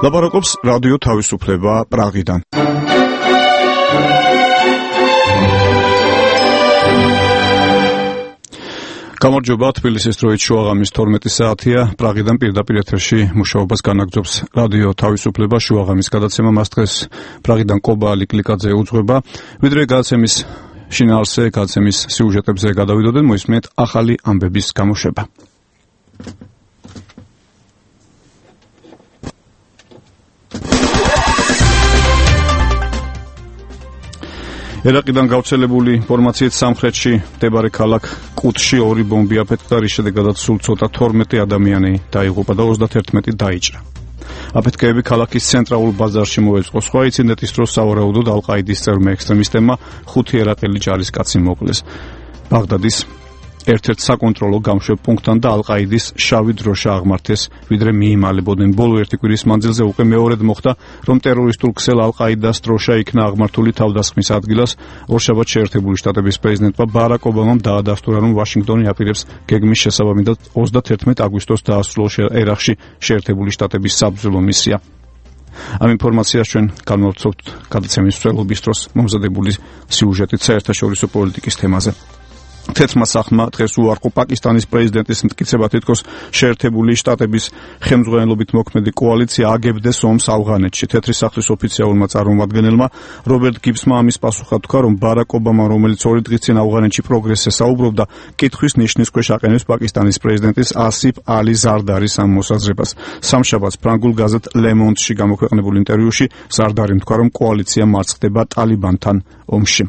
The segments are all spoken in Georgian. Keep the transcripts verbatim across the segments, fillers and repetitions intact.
ლაპარაკობს რადიო თავისუფლება პრაღიდან. გამარჯობა, თბილისის დროით შუაღამის თორმეტი საათია. პრაღიდან პირდაპირ ეთერში მუშაობას განაგრძობს რადიო თავისუფლება შუაღამის გადაცემა. მას დღეს პრაღიდან კობა ლიკლიკაძე უძღვება. ვიდრე გადაცემის შინაარსზე, გადაცემის სიუჟეტებზე გადავიდოდეთ, მოისმენთ ახალი ამბების გამოშვება. ერაყიდან გავრცელებული ინფორმაციით სამხრეთში მდებარე ქალაქ კუტში ორი ბომბი აფეთქდა, რის შედეგადაც სულ ცოტა თორმეტი ადამიანი დაიღუპა და ოცდაათი დაიჭრა. აფეთქებები ქალაქის ცენტრალურ ბაზარში მოეწყო. სხვა ინციდენტის დროს სავარაუდოდ ალ-ყაიდის წევრმა ექსტრემისტებმა ხუთი ერაყელი ჯარისკაცი მოკლეს. ბაღდადის ერთ-ერთ საკონტროლო გამშვებ პუნქტთან და ალ-ყაიდის შავი დროშა აღმართეს, ვიდრე მიიმალებოდნენ. ბოლო ერთი კვირის მანძილზე უკვე მეორედ მოხდა, რომ ტერორისტულ ქსელ ალ-ყაიდას დროშა იქნა აღმართული თავდასხმის ადგილას. ორშაბათს შეერთებული შტატების პრეზიდენტმა ბარაკ ობამამ დაადასტურა, რომ ვაშინგტონი აპირებს გეგმის შესაბამისად ოცდათერთმეტ აგვისტოს დაასრულოს ერაყში შეერთებული შტატების საბრძოლო მისია. ამ ინფორმაციას ჩვენ განვავრცობთ გადაცემის მსვლელობის დროს მომზადებული სიუჟეტით საერთაშორისო პოლიტიკის თემაზე. თეთრმა სახმა დღეს უარყო პაკისტანის პრეზიდენტის მტკიცება, თითქოს შეერთებული შტატების ხელმძღვანელობით მოქმედი კოალიცია აგებდეს ომს ავღანეთში. თეთრი სახლის ოფიციალურმა წარმომადგენელმა რობერტ გიბსმა ამის პასუხად თქვა, რომ ბარაკ ობამა, რომელიც ორი დღის წინ ავღანეთში პროგრესზე საუბრობდა, კითხვის ნიშნის ქვეშ აყენებს პაკისტანის პრეზიდენტის ასიფ ალი ზარდარის ამ მოსაზრებას. სამშაბათს ფრანგულ გაზეთ Le Monde-ში გამოქვეყნებულ ინტერვიუში ზარდარი თქვა, რომ კოალიცია მარცხდება ტალიბანთან ომში.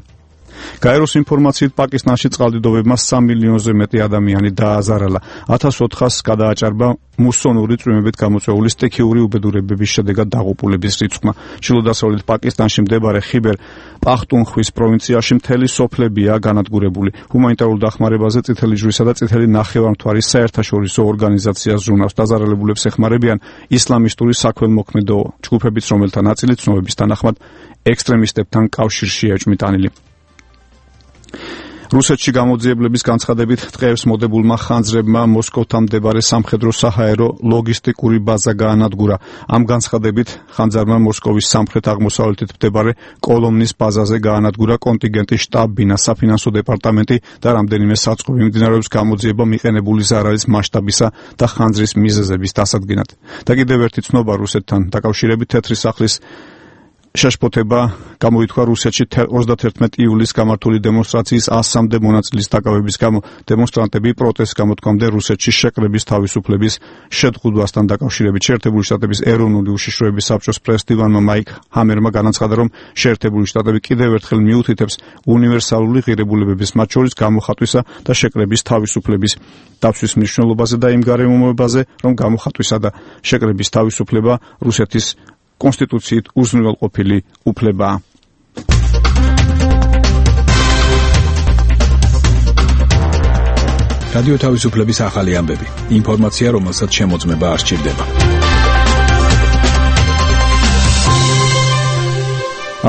გაეროს ინფორმაციით პაკისტანში წყალდიდობებმა სამ მილიონზე მეტი ადამიანი დააზარალა. ათას ოთხასს გადააჭარბა მუსონური წვიმებით გამოწვეული სტიქიური უბედურებების შედეგად დაღუპულების რიცხვმა. ჩრდილო-დასავლეთ პაკისტანში მდებარე ხიბერ პახტუნხვის პროვინციაში მთელი სოფლებია განადგურებული. ჰუმანიტარულ დახმარებაზე წითელი ჯვრისა და წითელი ნახევარმთვარის საერთაშორისო ორგანიზაცია ზრუნავს. დაზარალებულებს ეხმარებიან ისლამისტური საქველმოქმედო ჯგუფებიც, რომელთა ნაწილი ცნობების თანახმად ექსტრემისტებთან კავშირშია ეჭვმიტანილი. რუსეთში გამოძიებლების განცხადებით დღეს მოდებულმა ხანძრებმა მოსკოვთან მდებარე სამხედრო-საჰაერო ლოგისტიკური ბაზა გაანადგურა. ამ განცხადებით ხანძარმა მოსკოვის სამხრეთ-აღმოსავლეთით მდებარე კოლომნის ბაზაზე გაანადგურა კონტინგენტის შტაბ-ბინა, საფინანსო დეპარტამენტი და რამდენიმე საწყობი. მიმდინარეობს გამოძიება მიყენებული ზარალის მასშტაბისა და ხანძრის მიზეზების დასადგენად. და კიდევ ერთი ცნობა რუსეთთან დაკავშირებით, თეთრი სახლის შეშფოთება გამოითქვა რუსეთში ოცდათერთმეტი ივლისს გამართული დემონსტრაციის ასამდე მონაწილის დაკავების გამო. დემონსტრანტები პროტესტს გამოთქვამდნენ რუსეთში შეკრების თავისუფლების შეძღუდვასთან დაკავშირებით. შეერთებული შტატების ეროვნული უშიშროების საბჭოს პრეზიდენტმა მაიკ ჰამერმა განაცხადა, რომ შეერთებული შტატები კიდევ ერთხელ მიუთითებს უნივერსალური ღირებულებების, მათ შორის გამოხატვისა და შეკრების თავისუფლების დაცვის მნიშვნელობაზე და იმ გარემოებაზე, რომ გამოხატვისა და შეკრების თავისუფლება რუსეთის კონსტიტუციით უზრუნველყოფილი უფლებაა. რადიო თავისუფლების ახალი ამბები. ინფორმაცია, რომელსაც შემოწმება არ სჭირდება.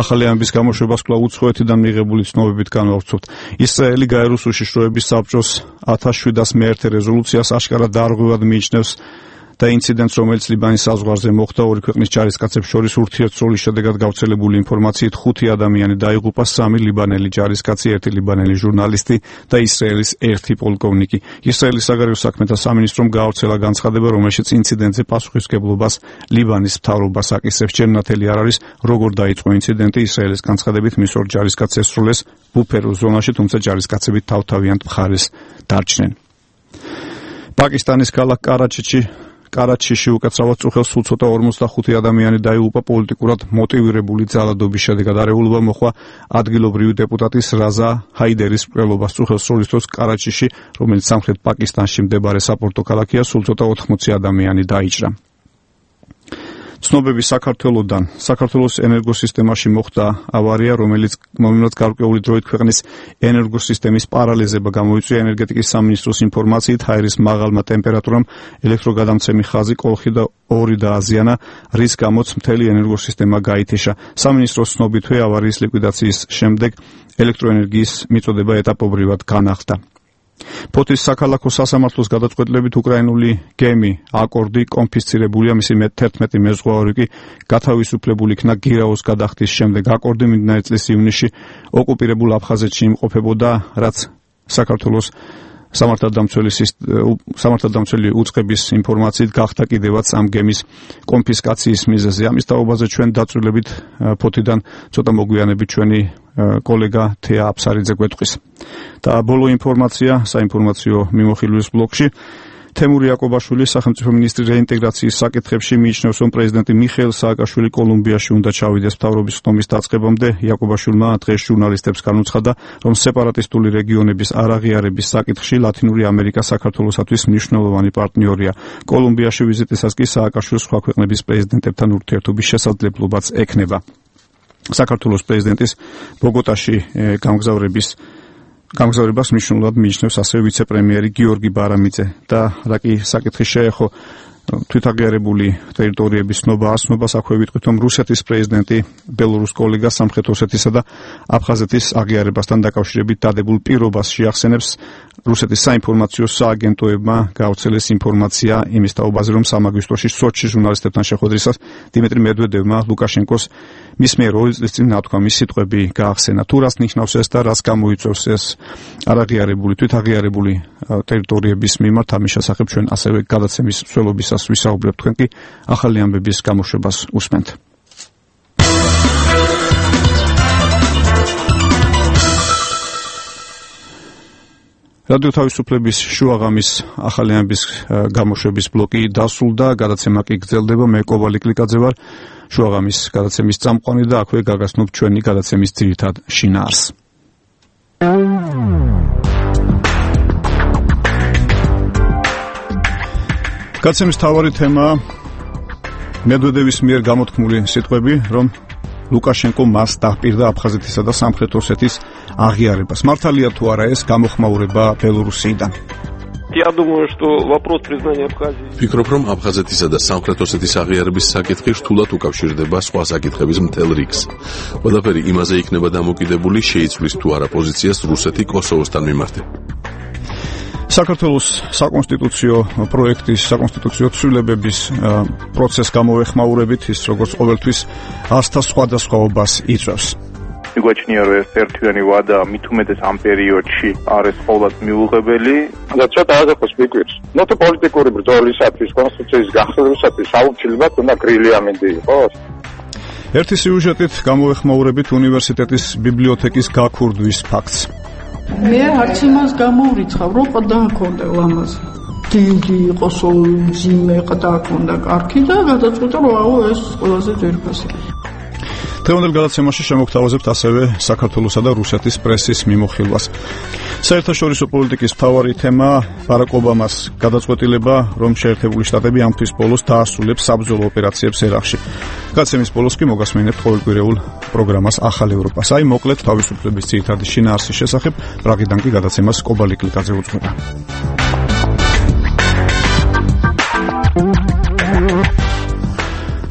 ახალი ამბების გამოშვებას კვლავ უცხოეთიდან მიღებული ცნობებით განვავრცობთ. ისრაელი გაეროს უშიშროების საბჭოს ათას შვიდას მეერთე რეზოლუციას აშკარად დარღვევად მიიჩნევს და ინციდენტს, რომელიც ლიბანის საზღვარზე მოხდა, ორი ქვეყნის ჯარისკაცებს შორის ურთიერთსროლის შედეგად გავრცელებული ინფორმაციით ხუთი ადამიანი დაიღუპა, სამი ლიბანელი ჯარისკაცი, ერთი ლიბანელი ჟურნალისტი და ისრაელის ერთი პოლკოვნიკი. ისრაელის საგარეო საქმეთა სამინისტრომ გაავრცელა განცხადება, რომელშიც ინციდენტზე პასუხისმგებლობას ლიბანის მთავრობას აკისრებს. ჯერ ნათელი არ არის, როგორ დაიწყო ინციდენტი. ისრაელის განცხადებით მის ორ ჯარისკაცს ესრულეს ბუფერო ზონაში, თუმცა ჯარისკაცები თავთავიანთ მხარეს დარჩნენ. პაკისტანის ქალაქ კარაჩიში კარაჩიში უკაცრავად წუხელს სულ ცოტა ორმოცდახუთი ადამიანი დაიღუპა პოლიტიკურად მოტივირებული ძალადობის შედეგად. არეულობა მოხდა ადგილობრივი დეპუტატის რაზა ჰაიდერის მკვლელობას. წუხელს სროლის დროს კარაჩიში, რომელიც სამხრეთ პაკისტანში მდებარე საპორტო ქალაქია, სულ ცოტა ოთხმოცი ადამიანი დაიჭრა. ცნობები საქართველოსდან. საქართველოს ენერგოსისტემაში მოხდა ავარია, რომელიც მომიმრად გარკვეული დროით ქვეყნის ენერგოსისტემის პარალიზება გამოიწვია. ენერგეტიკის სამინისტროს ინფორმაციით, ჰაერის მაღალმა ტემპერატურამ ელექტროგადამცემი ხაზი კოლხი და ორი დააზიანა, რის გამოც მთელი ენერგოსისტემა გაითიშა. სამინისტროს ცნობითვე ავარიის ლიკვიდაციის შემდეგ ელექტროენერგიის მიწოდება ეტაპობრივად განახლდა. ფოთის საქალაქო სასამართლოს გადაწყვეტილებით უკრაინული გემი აკორდი კონფისცირებულია, მისი თერთმეტი მეზღვაური კი გათავისუფლებული იქნა გირაოს გადახდის შემდეგ. აკორდი მიმდინარე წლის ივნისში ოკუპირებულ აფხაზეთში იმყოფებოდა, რაც საქართველოს სამართალდამცველი უწყების ინფორმაციით გახდა კიდევაც ამ გემის კონფისკაციის მიზეზი. ამის თაობაზე ჩვენ დაწვრილებით ფოთიდან ცოტა მოგვიანებით ჩვენი კოლეგა თეა აფსარიძე გვეტყვის. და ბოლო ინფორმაცია საინფორმაციო მიმოხილვის ბლოკში. თემური იაკობაშვილი სახელმწიფო მინისტრი რეინტეგრაციის საკითხებში მიიჩნევს, რომ პრეზიდენტი მიხეილ სააკაშვილი კოლუმბიაში უნდა ჩავიდეს მთავრობის ხდომის დაწყებამდე. იაკობაშვილმა დღეს ჟურნალისტებს განუცხადა, რომ სეპარატისტული რეგიონების არაღიარების საკითხში ლათინური ამერიკა საქართველოსათვის მნიშვნელოვანი პარტნიორია. კოლუმბიაში ვიზიტისას კი სააკაშვილს სხვა ქვეყნების პრეზიდენტებთან ურთიერთობის შესაძლებლობაც ექნება. საქართველოს პრეზიდენტის ბოგოტაში გამგზავრების გამგზავრებას მნიშვნელოვნად მიიჩნევს ასევე ვიცე-პრემიერი გიორგი ბარამიძე და რა კი საკითხი შეეხო თვითაღიარებული ტერიტორიების ცნობა ასნობას, აქვე ვიტყვით, რომ რუსეთის პრეზიდენტი ბელორუს კოლეგას სამხრეთ ოსეთისა და აფხაზეთის აღიარებასთან დაკავშირებით დადებულ პირობას შეახსენებს. რუსეთის საინფორმაციო სააგენტოებმა გავრცელეს ინფორმაცია იმის თაობაზე, რომ სამაგვისტოში სოჩში ჟურნალისტებთან შეხვედრისას დიმიტრი მედვედევმა ლუკაშენკოს მის მიერ ორი წლის წინ ნათქვამის სიტყვები გაახსენა. თუ რას ნიშნავს ეს და რას გამოიწვევს ეს არაღიარებული თვითაღიარებული ტერიტორიების მიმართ, ამის შესახებ ჩვენ ასევე გადაცემის მსვლელობისას ვისაუბრებთ. თქვენ კი ახალი ამბების გამოშვებას უსმენთ. რადიო თავისუფლების შუაღამის ახალი ამბების გამოშვების ბლოკი დასრულდა, გადაცემა კი გრძელდება. მე კოვალი კლიკაძე ვარ, შუაღამის გადაცემის წამყვანი და აქვე გაგაცნობ ჩვენი გადაცემის ძირითად შინაარსს. გადაცემის მთავარი თემაა მედვედევის მიერ გამოთქმული სიტყვები, რომ ლუკაშენკო მას დაჰპირდა აფხაზეთისა და სამხრეთ ოსეთის აღიარებას. მართალია თუ არა ეს გამოხმაურება ბელორუსიიდან? Я думаю, что вопрос признания Абхазии. Ფიქრობ, რომ აფხაზეთისა და სამხრეთ ოსეთის აღიარების საკითხი რთულად უკავშირდება სხვა საკითხების მთელ რიგს. ყველაფერი იმაზე იქნება დამოკიდებული, შეიცვლის თუ არა პოზიციას რუსეთი კოსოვოსთან მიმართებით. საქართველოს საკონსტიტუციო პროექტის საკონსტიტუციო ცვლილებების პროცესს გამოვეხმაურებით, ის როგორც ყოველთვის ასთა სხვადასხვაობას იწვევს. მიგვაჩნია, რომ ეს ერთიანი ვადა მით უმეტეს ამ პერიოდში არის ყოველად მიუღებელი და ცოტა აზრს მიგვირს. ნუ პოლიტიკური ბრძოლისათვის, კონსტიტუციის გახსნისათვის აუცილებლად უნდა გრილი ამინდი იყოს. ერთი სიუჟეტით გამოვეხმაურებით უნივერსიტეტის ბიბლიოთეკის გაქურდვის ფაქტს. მე არც იმას გამოვრიცხავ, რომ ყდა ჰქონდა ლამაზი. დიდი იყოს ძიმე ყდა ჰქონდა კარგი და გადაწყვიტა, რომ აუ ეს ყველაზე ძვირფასია. დღევანდელ გადაცემაში შემოგთავაზებთ ასევე საქართველოსა და რუსეთის პრესის მიმოხილვას. საერთაშორისო პოლიტიკის მთავარი თემა ბარაკ ობამას გადაწყვეტილება, რომ შეერთებული შტატები ამ თვის ბოლოს დაასრულებს საბრძოლო ოპერაციებს ერაყში. გადაცემის ბოლოს კი მოგასმენებთ ყოველკვირეულ პროგრამას ახალ ევროპას. აი მოკლედ თავისუფლების ძირითადი შინაარსის შესახებ, პრაღიდან კი გადაცემას კობალი კლიკაძე უძღვება.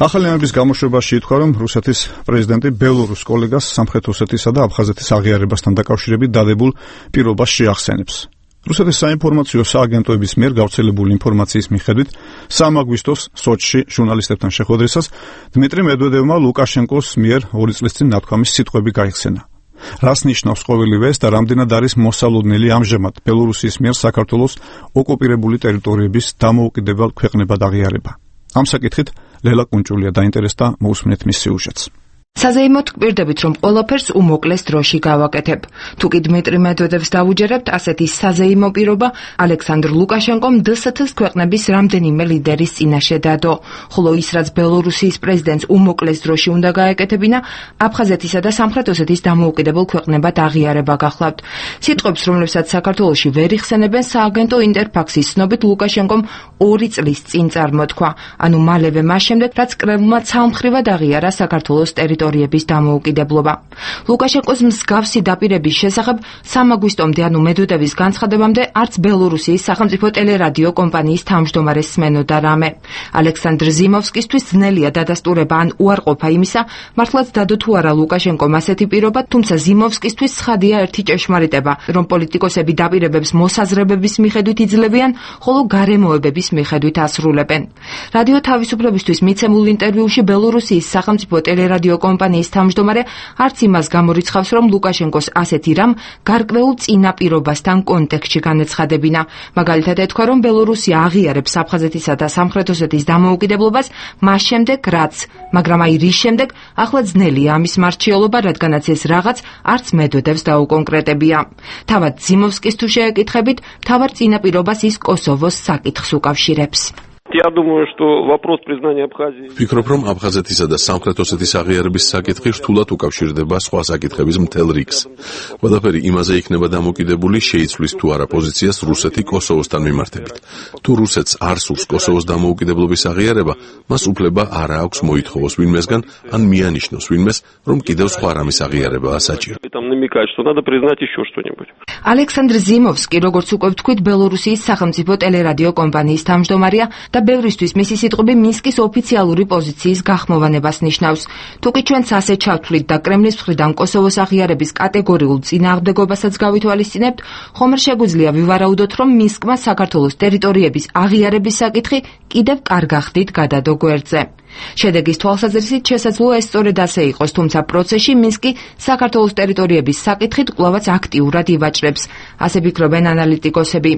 ახალი ამბების გამოშვებაში ითქვა, რომ რუსეთის პრეზიდენტი ბელორუს კოლეგას სამხრეთ ოსეთისა და აფხაზეთის აღიარებასთან დაკავშირებით დადებულ პირობას შეახსენებს. რუსეთის საინფორმაციო სააგენტოების მიერ გავრცელებული ინფორმაციის მიხედვით, სამი აგვისტოს სოჩში ჟურნალისტებთან შეხვედრისას დიმიტრი მედვედევმა ლუკაშენკოს მიერ ორი წლის წინ ნათქვამის სიტყვები გაიხსენა. რას ნიშნავს ყოველივე ეს და რამდენად არის მოსალოდნელი ამჟამად ბელორუსის მიერ საქართველოს ოკუპირებული ტერიტორიების დამოუკიდებელ ქვეყნებად აღიარება? ამ საკითხით ლელა კუნჭულია დაინტერესდა, მოусმენთ მის სიუჟეტს. საზეიმოდ გვპირდებით, რომ ყველაფერს უმოკლეს დროში გავაკეთებ. თუ კი დმიტრი მედვედევს დავუჯერებთ, ასეთი საზეიმო პირობა ალექსანდრ ლუკაშენკომ დ ეს თ-ს ქვეყნების რამდენიმე ლიდერის წინაშე დადო. ხოლო ის, რაც ბელორუსიის პრეზიდენტს უმოკლეს დროში უნდა გაეკეთებინა, აფხაზეთისა და სამხრეთ ოსეთის დამოუკიდებელ ქვეყნებად აღიარება გახლავთ. სიტყვებს, რომლებსაც საქართველოში ვერ იხსენებენ, სააგენტო ინტერფაქსის ცნობით ლუკაშენკომ ორი წლის წინ წარმოთქვა, ანუ მალევე მას შემდეგ, რაც კრემლმა ცალმხრივად აღიარა საქართველოს ტერიტორია ტერიტორიების დამოუკიდებლობა. ლუკაშენკოს მსგავსი დაპირების შესახებ სამი აგვისტომდე, ანუ მედვედევის განცხადებამდე, არც ბელორუსიის სახელმწიფო ტელერადიო კომპანიის თავმჯდომარეს სმენოდა რამე. ალექსანდრ ზიმოვსკისთვის ძნელია დადასტურება ან უარყოფა იმისა, მართლაც დადო თუ არა ლუკაშენკომ ასეთი პირობა, თუმცა ზიმოვსკისთვის ცხადია ერთი ჭეშმარიტება, რომ პოლიტიკოსები დაპირებებს მოსაზრებების მიხედვით იძლევიან, ხოლო გარემოებების მიხედვით ასრულებენ. რადიო თავისუფლებისთვის მიცემულ ინტერვიუში ბელორუსიის სახელმწიფო ტელერადიო კომპანიის თავმჯდომარე არც იმას გამორიცხავს, რომ ლუკაშენკოს ასეთი რამ გარკვეულ წინაპირობასთან კონტექსტში განეცხადებინა. მაგალითად ეთქვა, რომ ბელორუსია აღიარებს აფხაზეთისა და სამხრეთ ოსეთის დამოუკიდებლობას მას შემდეგ, რაც, მაგრამ აი რის შემდეგ, ახლა ძნელია ამის მარჩიოლობა, რადგანაც ეს რაღაც არც მედვედევს დაუკონკრეტებია. თავად ზიმოვსკის თუ შეეკითხებით, მთავარ წინაპირობას ის კოსოვოს საკითხს უკავშირებს. Я думаю, что вопрос признания Абхазии. Ვფიქრობ, რომ აფხაზეთისა და სამხრეთ ოსეთის აღიარების საკითხი რთულად უკავშირდება სხვა საკითხების მთელ რიგს. ყველაფერი იმაზე იქნება დამოკიდებული, შეიცვლის თუ არა პოზიციას რუსეთი კოსოვოსთან მიმართებით. თუ რუსეთს არ სურს კოსოვოს დამოუკიდებლობის აღიარება, მას უფლება არ აქვს მოითხოვოს ვინმესგან, ან მიანიშნოს ვინმეს, რომ კიდევ სხვა რამის აღიარებაა საჭირო. Там намекать, что надо признать еще что-нибудь. ალექსანდრ ზიმოვსკი, როგორც უკვე ვთქვით, ბელორუსიის სახელმწიფო ტელერადიო კომპანიის თავმჯდომარეა და ბევრისთვის მისი სიტყვები მინსკის ოფიციალური პოზიციის გახმოვანებას ნიშნავს. თუკი ჩვენც ასე ჩავთვლით და კრემლის მხრიდან კოსოვოს აღიარების კატეგორიულ წინააღმდეგობასაც გავითვალისწინებთ, ხომ არ შეგვიძლია ვივარაუდოთ, რომ მინსკმა საქართველოს ტერიტორიების აღიარების საკითხი კიდევ კარგ ხდით გადადო გვერდზე. შედეგის თვალსაზრისით შესაძლოა ეს სწორედ ასე იყოს, თუმცა პროცესში მინსკი საქართველოს ტერიტორიების საკითხით კვლავაც აქტიურად ივაჭრებს. ასე ფიქრობენ ანალიტიკოსები.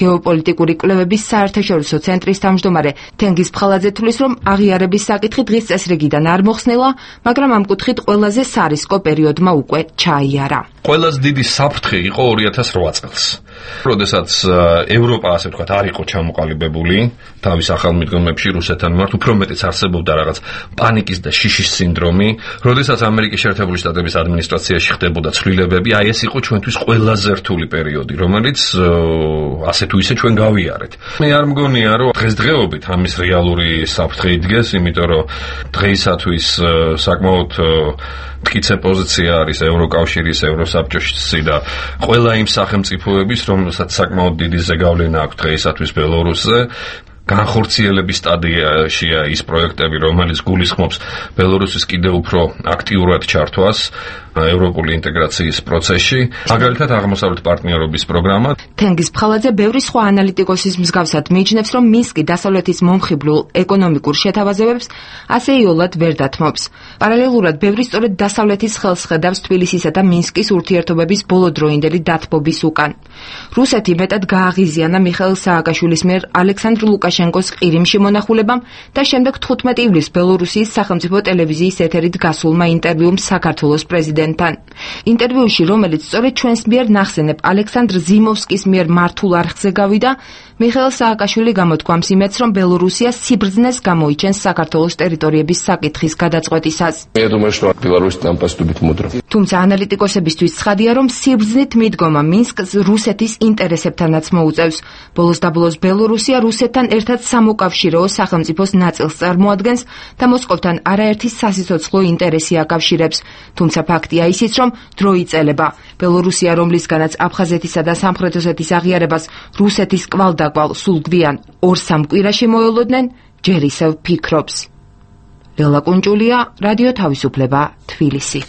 გეოპოლიტიკური კვლევების საერთაშორისო ცენტრის თავმჯდომარე თენგიზ ფხალაძე თვლის, რომ აღიარების საკითხი დღის წესრიგიდან არ მოხსნილა, მაგრამ ამ კუთხით ყველაზე სარისკო პერიოდმა უკვე ჩაიარა. ყველაზე დიდი საფრთხე იყო ორი ათას რვა წელს. როდესაც ევროპა, ასე ვთქვათ, არ იყო ჩამოყალიბებული თავის ახალმიდგომებში რუსეთთან მიმართ, უფრო მეტიც არსებობდა რაღაც პანიკის და შიშის სინდრომი, როდესაც ამერიკის შეერთებული შტატების ადმინისტრაციაში ხდებოდა ცვლილებები, აი ეს იყო ჩვენთვის ყველაზე რთული პერიოდი, რომელიც ასე თუ ისე ჩვენ გავიარეთ. მე არ მგონია, რომ დღესდღეობით ამის რეალური საფრთხე იდგეს, იმიტომ რომ დღეისათვის საკმაოდ მტკიცე პოზიცია არის ევროკავშირის, ევროსაბჭოში და ყველა იმ სახელმწიფოების, რომელსაც საკმაოდ დიდი ზეგავლენა აქვს დღეისათვის ბელორუსზე. განხორციელების სტადიაშია ის პროექტები, რომელიც გულისხმობს ბელორუსის კიდევ უფრო აქტიურად ჩართვას ევროპული ინტეგრაციის პროცესში, მაგალითად აღმოსავლეთ პარტნიორობის პროგრამა. თენგიზ ფხალაძე ბევრი სხვა ანალიტიკოსის მსგავსად მიიჩნევს, რომ მინსკი დასავლეთის მომხიბლულ ეკონომიკურ შეთავაზებებს ასეიოლად ვერ დათმობს. პარალელურად ბევრი სწორედ დასავლეთის ხელს ხედავს თბილისისა და მინსკის ურთიერთობების ბოლოდროინდელი დათბობის უკან. რუსეთი მეტად გააღიზიანა მიხეილ სააკაშვილის მიერ ალექსანდრ ლუკაშენკოს ყირიმში მონახულებამ და შემდეგ თხუთმეტი ივლისს ბელორუსიის სახელმწიფო ტელევიზიის ეთერით გასულმა ინტერვიუმ საქართველოს პრეზიდენტთან. ინტერვიუში, რომელიც სწორედ ჩვენს მიერ ნახსენებ ალექსანდრ ზიმოვსკის მიერ მართულ არხზე გავიდა, მიხეილ სააკაშვილი გამოთქვამს იმედს, რომ ბელორუსია სიბრძნეს გამოიჩენს საქართველოს ტერიტორიების საკითხის გადაწყვეტისას. თუმცა ანალიტიკოსებისთვის ცხადია, რომ სიბრძნით მიდგომა მინსკს რუსეთის ინტერესებთანაც მოუწევს. ბოლოს და ბოლოს ბელორუსია რუსეთთან ერთად სამოკავშირეო სახელმწიფოს ნაწილს წარმოადგენს და მოსკოვთან არაერთი სასიცოცხლო ინტერესი აკავშირებს. თუმცა ფაქტია ისიც, რომ დრო იწელება. ბელორუსია, რომლისგანაც აფხაზეთისა და სამხრეთ ოსეთის აღიარებას რუსეთის კვალდაკვალ სულ გვიან ორ-სამ კვირაში მოელოდნენ, ჯერ ისევ ფიქრობს. ლელა კუნჭულია, რადიო თავისუფლება, თბილისი.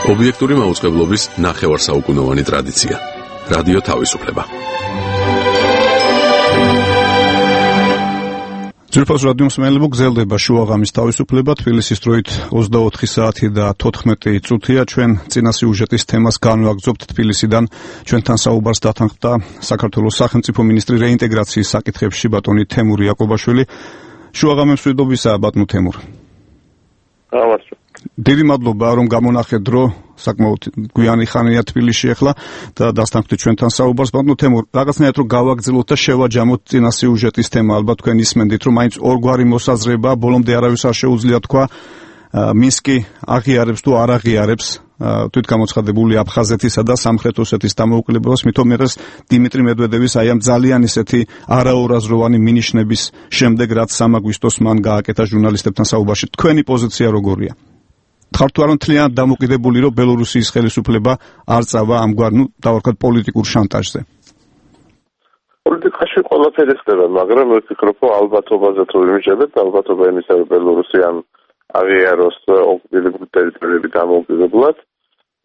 ობიექტური მაუწყებლობის ნახევარსაუკუნოვანი ტრადიცია. რადიო თავისუფლება. ძირფას რადიო მსმენელებო, გრძელდება შუაღამის თავისუფლება. თბილისის დროით ოცდაოთხი საათი და თოთხმეტი წუთია. ჩვენ წინა სიუჟეტის თემას განვაგრძობთ თბილისიდან. ჩვენთან საუბარს დათანხმდა საქართველოს სახელმწიფო მინისტრი რეინტეგრაციის საკითხებში ბატონი თემურ იაკობაშვილი. შუაღამის მშვიდობისა, ბატონო თემურ. დიდი მადლობა, რომ გამონახეთ დრო, საკმაოდ გვიანი ხანია თბილისში ახლა და დასთანხმდით ჩვენთან საუბარს. ბატონო თემურ, რაღაცნაირად რომ გავაგრძელოთ და შევაჯამოთ წინა სიუჟეტის თემა, ალბათ თქვენ ისმენდით, რომ მაინც ორგვარი მოსაზრება, ბოლომდე არავის არ შეუძლია თქვა, მინსკი აღიარებს თუ არ აღიარებს თვითგამოცხადებული აფხაზეთისა და სამხრეთ ოსეთის დამოუკიდებლობას, მithomeres დიმიტრი მედვედევის აი ამ ძალიან ისეთი არაორაზროვანი მინიშნების შემდეგ, რაც სამ აგვისტოს მან გააკეთა ჟურნალისტებთან საუბარში. თქვენი პოზიცია როგორია? ხართ თუ არა მთლიანად დამოკიდებული, რომ ბელორუსიის ხელისუფლება არ წავა ამგვარ, ნუ დავარქვათ, პოლიტიკურ შანტაჟზე? პოლიტიკაში ყველაფერი ხდება, მაგრამ მე ვფიქრობ, რომ ალბათობაზე თუ ვიმიჯერებთ, ალბათობა იმისა, რომ ბელორუსი ამ აღიაროს ოკუპირებული ტერიტორიები დამოუკიდებლად,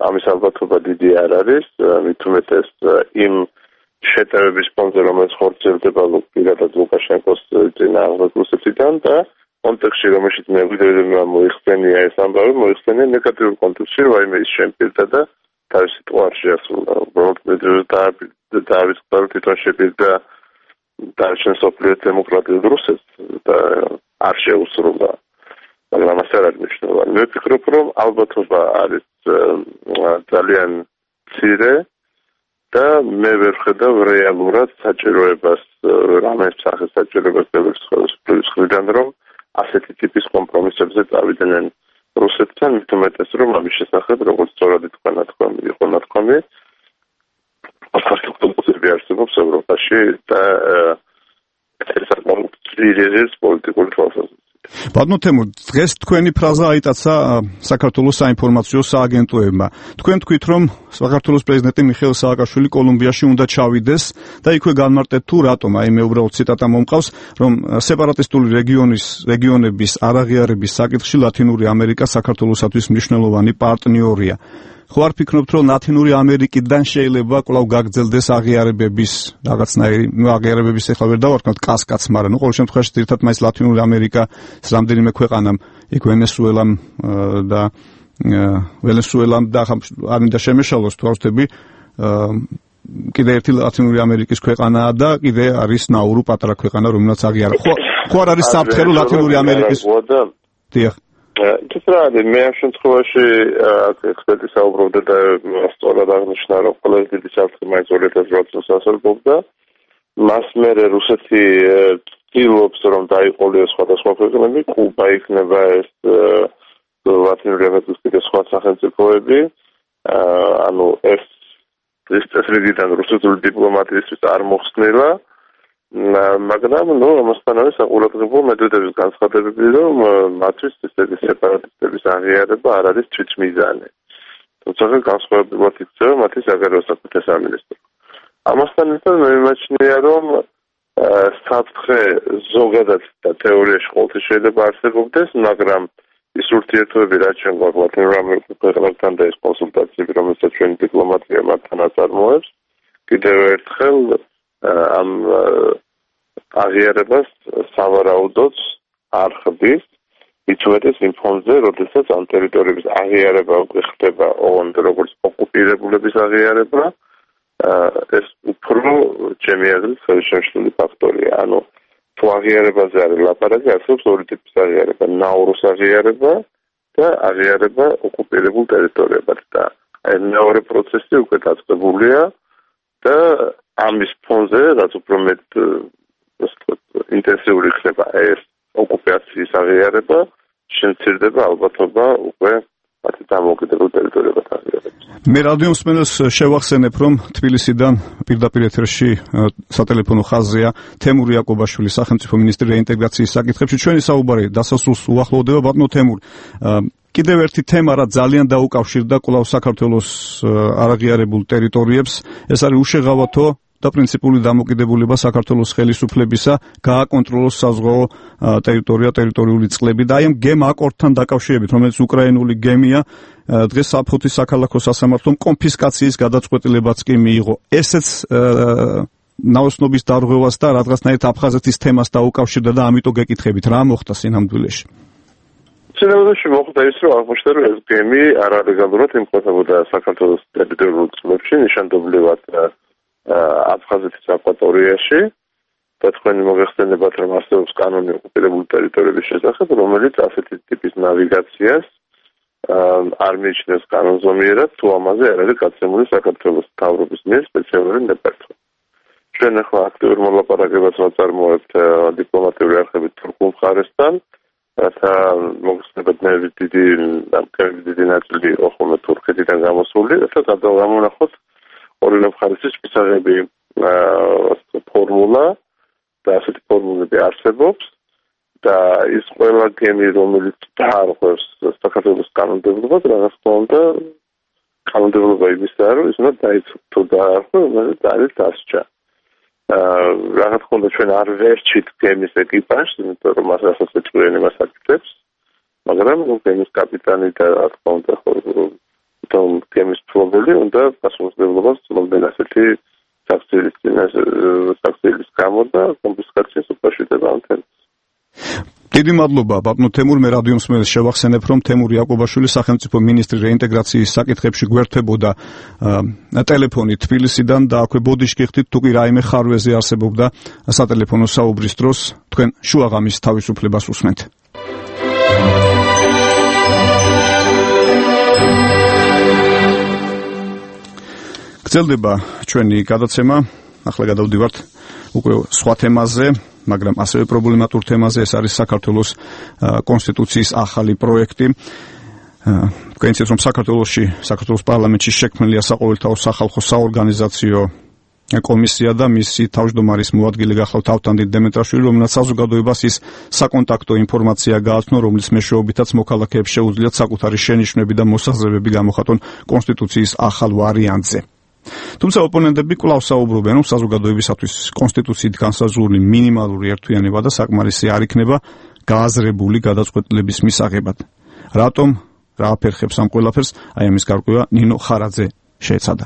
ამის ალბათობა დიდი არ არის, მით უმეტეს იმ შეტევების ფონზე, რომელიც ხორციელდება პირადად ლუკაშენკოს წინააღმდეგ რუსეთიდან და კონტექსტში, რომელშიც მე ვიდეო მოიხსენია ეს ამბავი, მოიხსენია ნეგატიურ კონტექსტში, რომ აიმე ის შემპირდა და თავის სიტუაციაში შეასრულა. უბრალოდ დავიწყდა, რომ თვითონ შეპირდა დარჩენ სოფლიო დემოკრატიულ რუსეთს და არ შეუსრულა. მაგრამ ასე არ არის მნიშვნელოვანი. მე ვფიქრობ, რომ ალბათობა არის ძალიან მცირე და მე ვერ ხედავ რეალურად საჭიროებას, რამეს სახის საჭიროებას ბელორუსის მხრიდან, რომ ასეთი ტიპის კომპრომისებზე წავიდნენ რუსეთთან, მით უმეტეს, რომ ამის შესახებ, როგორც სწორად თქვა ნათქვამი, იყო ნათქვამი, პარტიები არსებობს ევროპაში და ეს საკმაოდ ძლიერი პოლიტიკური თვალსაზრისით. ბატონო თემურ, დღეს თქვენი ფრაზა აიტაცა საქართველოს საინფორმაციო სააგენტოებმა. თქვენ თქვით, რომ საქართველოს პრეზიდენტი მიხეილ სააკაშვილი კოლუმბიაში უნდა ჩავიდეს და იქვე განმარტეთ თუ რატომ, აი მე უბრალოდ ციტატა მომყავს, რომ სეპარატისტული რეგიონის რეგიონების არაღიარების საკითხში ლათინური ამერიკა საქართველოსთვის მნიშვნელოვანი პარტნიორია. ხო არ ფიქრობთ, რომ ლათინური ამერიკიდან შეიძლება კვლავ გაგრძელდეს აღიარებების რაღაცნაირი, ნუ აღიარებების ეხლა ვერ დავარქმევთ კასკადს, მაგრამ ნუ ყოველ შემთხვევაში ერთად მაინც ლათინური ამერიკა რამდენიმე ქვეყანამ, იქ ვენესუელამ და ვენესუელამ და არ მინდა შემეშალოს თუ არ ვთქვი, კიდე ერთი ლათინური ამერიკის ქვეყანაა და კიდე არის ნაურუ პატარა ქვეყანა, რომელსაც აღიარა. ხო ხო არ არის საფრთხე ლათინური ამერიკის? დიახ. ეს რა არის, მე ამ შემთხვევაში ექსპერტი საუბრობდა და სწორად აღნიშნა, რომ ყველაზე დიდი საფრთხე მაინც ორი ათას ოთხ წელს ასრულებდა. მას მერე რუსეთი ცდილობს, რომ დაიყოლიოს სხვადასხვა ქვეყნები, კუბა იქნება ეს ლათინური ამერიკის კიდე სხვა სახელმწიფოები, ანუ ეს ეს წესრიგიდან რუსეთის დიპლომატიისთვის არ მოხსნილა. მაგრამ ნუ ამასთანავე საყურადღებო მედვედევის განცხადებები, რომ მათთვის ესეთი სეპარატისტების აღიარება არ არის თვითმიზანი. თუმცა განსხვავებულად იქცევა მათი საგარეო საქმეთა სამინისტრო. ამასთან ერთად მე მიმაჩნია, რომ საფრთხე ზოგადად და თეორიაში ყოველთვის შეიძლება არსებობდეს, მაგრამ ის ურთიერთობები, რაც ჩვენ გვაქვს ლათინურ ამერიკის ქვეყნებთან და ეს კონსულტაციები, რომელსაც ჩვენი დიპლომატია მათთან აწარმოებს, კიდევ ერთხელ ამ აღიარებას სავარაუდოდ არ ხდის, მით უმეტეს იმ ფონზე, როდესაც ამ ტერიტორიების აღიარება ხდება ოღონდ როგორც ოკუპირებულების აღიარება, ეს უფრო ჩემი აზრით ხელშემშლელი ფაქტორია. ანუ თუ აღიარებაზე არის ლაპარაკი, არსებობს ორი ტიპის აღიარება: ნაურუს აღიარება და აღიარება ოკუპირებულ ტერიტორიებად. და აი მეორე პროცესი უკვე დაწყებულია და ამის ფონზე, რაც უფრო მეტ ინტენსიური ხდება ეს ოკუპაციის აღიარება, შემცირდება ალბათობა უკვე მათი დამოუკიდებელ ტერიტორიებად აღიარებას. მე რადიო მსმენელს შევახსენებ, რომ თბილისიდან პირდაპირ ეთერში სატელეფონო ხაზია თემურ იაკობაშვილი, სახელმწიფო მინისტრი რეინტეგრაციის საკითხებში. ჩვენი საუბარი დასასრულს უახლოვდება. ბატონო თემურ, კიდევ ერთი თემა, რაც ძალიან დაუკავშირდა კვლავ საქართველოს არაღიარებულ ტერიტორიებს, ეს არის უშეღავათო და პრინციპული დამოკიდებულება საქართველოს ხელისუფლებისა გააკონტროლოს საზღვაო ტერიტორია, ტერიტორიული წყლები და აი ამ გემ აკორდთან დაკავშირებით, რომელიც უკრაინული გემია, დღეს საფოთის საქალაქო სასამართლომ კონფისკაციის გადაწყვეტილებაც კი მიიღო. ესეც ნაოსნობის დარღვევას და რაღაცნაირად აფხაზეთის თემას დაუკავშირდა და ამიტომ გეკითხებით, რა მოხდა სინამდვილეში? სინამდვილეში მოხდა ის, რომ აღმოჩნდა, რომ ეს გემი არალეგალურად იმყოფებოდა საქართველოს ტერიტორიულ წყლებში, ნიშანდობლივად აფხაზეთის აკვატორიაში და თქვენი მოგეხსენებათ, რომ არსებობს კანონი ოკუპირებული ტერიტორიების შესახებ, რომელიც ასეთი ტიპის ნავიგაციას არ მიიჩნევს კანონზომიერად, თუ ამაზე არ არის გაცემული საქართველოს მთავრობის მიერ სპეციალური ნებართვა. ჩვენ ახლა აქტიურ მოლაპარაკებებს ვაწარმოებთ დიპლომატიური არხებით თურქულ მხარესთან რათა მოგხსნებადნების დიდი ამკერების დიდი ნაწილი იყო ხოლმე თურქეთიდან გამოსული, რათა გადავამონახოთ ორივე მხარესის მისაღები ფორმულა და ასეთი ფორმულები არსებობს და ის ყველა გემი, რომელიც დაარღვევს საქართველოს კანონმდებლობას, რაღაც თქმა უნდა, კანონმდებლობა იმისაა, რომ ის უნდა დაიცვათ თუ დაარღვევს, დაარის დასჯა. რაღაც თქმა უნდა, ჩვენ არ ვერჩით გემის ეკიპაჟს, იმიტომ რომ მას ასეთი წვენი მას აკეთებს, მაგრამ გემის კაპიტანი და რა თქმა უნდა, თუ გემის ფლობელი უნდა პასუხისმგებლობას ცნობენ ასეთი საქციელის საქციელის გამო და კონფისკაციის უკავშირდება ამ თემას. დიდი მადლობა ბატონო თემურ, მე რადიო მსმენელს შევახსენებ, რომ თემურ იაკობაშვილი სახელმწიფო მინისტრი რეინტეგრაციის საკითხებში გვერდებოდა ტელეფონით თბილისიდან და აქვე ბოდიშკი ხდით, თუ კი რაიმე ხარვეზე არსებობდა სატელეფონო საუბრის დროს, თქვენ შუაღამის თავისუფლებას უსმენთ. გრძელდება ჩვენი გადაცემა, ახლა გადავდივართ უკვე სხვა თემაზე, მაგრამ ასევე პრობლემატურ თემაზე, ეს არის საქართველოს კონსტიტუციის ახალი პროექტი. თქვენ იცით, რომ საქართველოში, საქართველოს პარლამენტში შექმნილია საყოველთაო სახალხო საორგანიზაციო კომისია და მისი თავმჯდომარის მოადგილე გახლავთ ავთანდილ დემეტრაშვილი, რომელსაც საზოგადოებას ის საკონტაქტო ინფორმაცია გააცნო, რომლის მეშვეობითაც მოქალაქეებს შეუძლიათ საკუთარი შენიშვნები და მოსაზრებები გამოხატონ კონსტიტუციის ახალ ვარიანტზე. თუმცა ოპონენტები კვლავ საუბრობენ, რომ საზოგადოებისათვის კონსტიტუციით განსაზღვრული მინიმალური ერთვიანება და საკმარისი არ იქნება გააზრებული გადაწყვეტილების მისაღებად. რატომ, რა აფერხებს ამ ყველაფერს, აი ამის გარკვევა ნინო ხარაძე შეეცადა.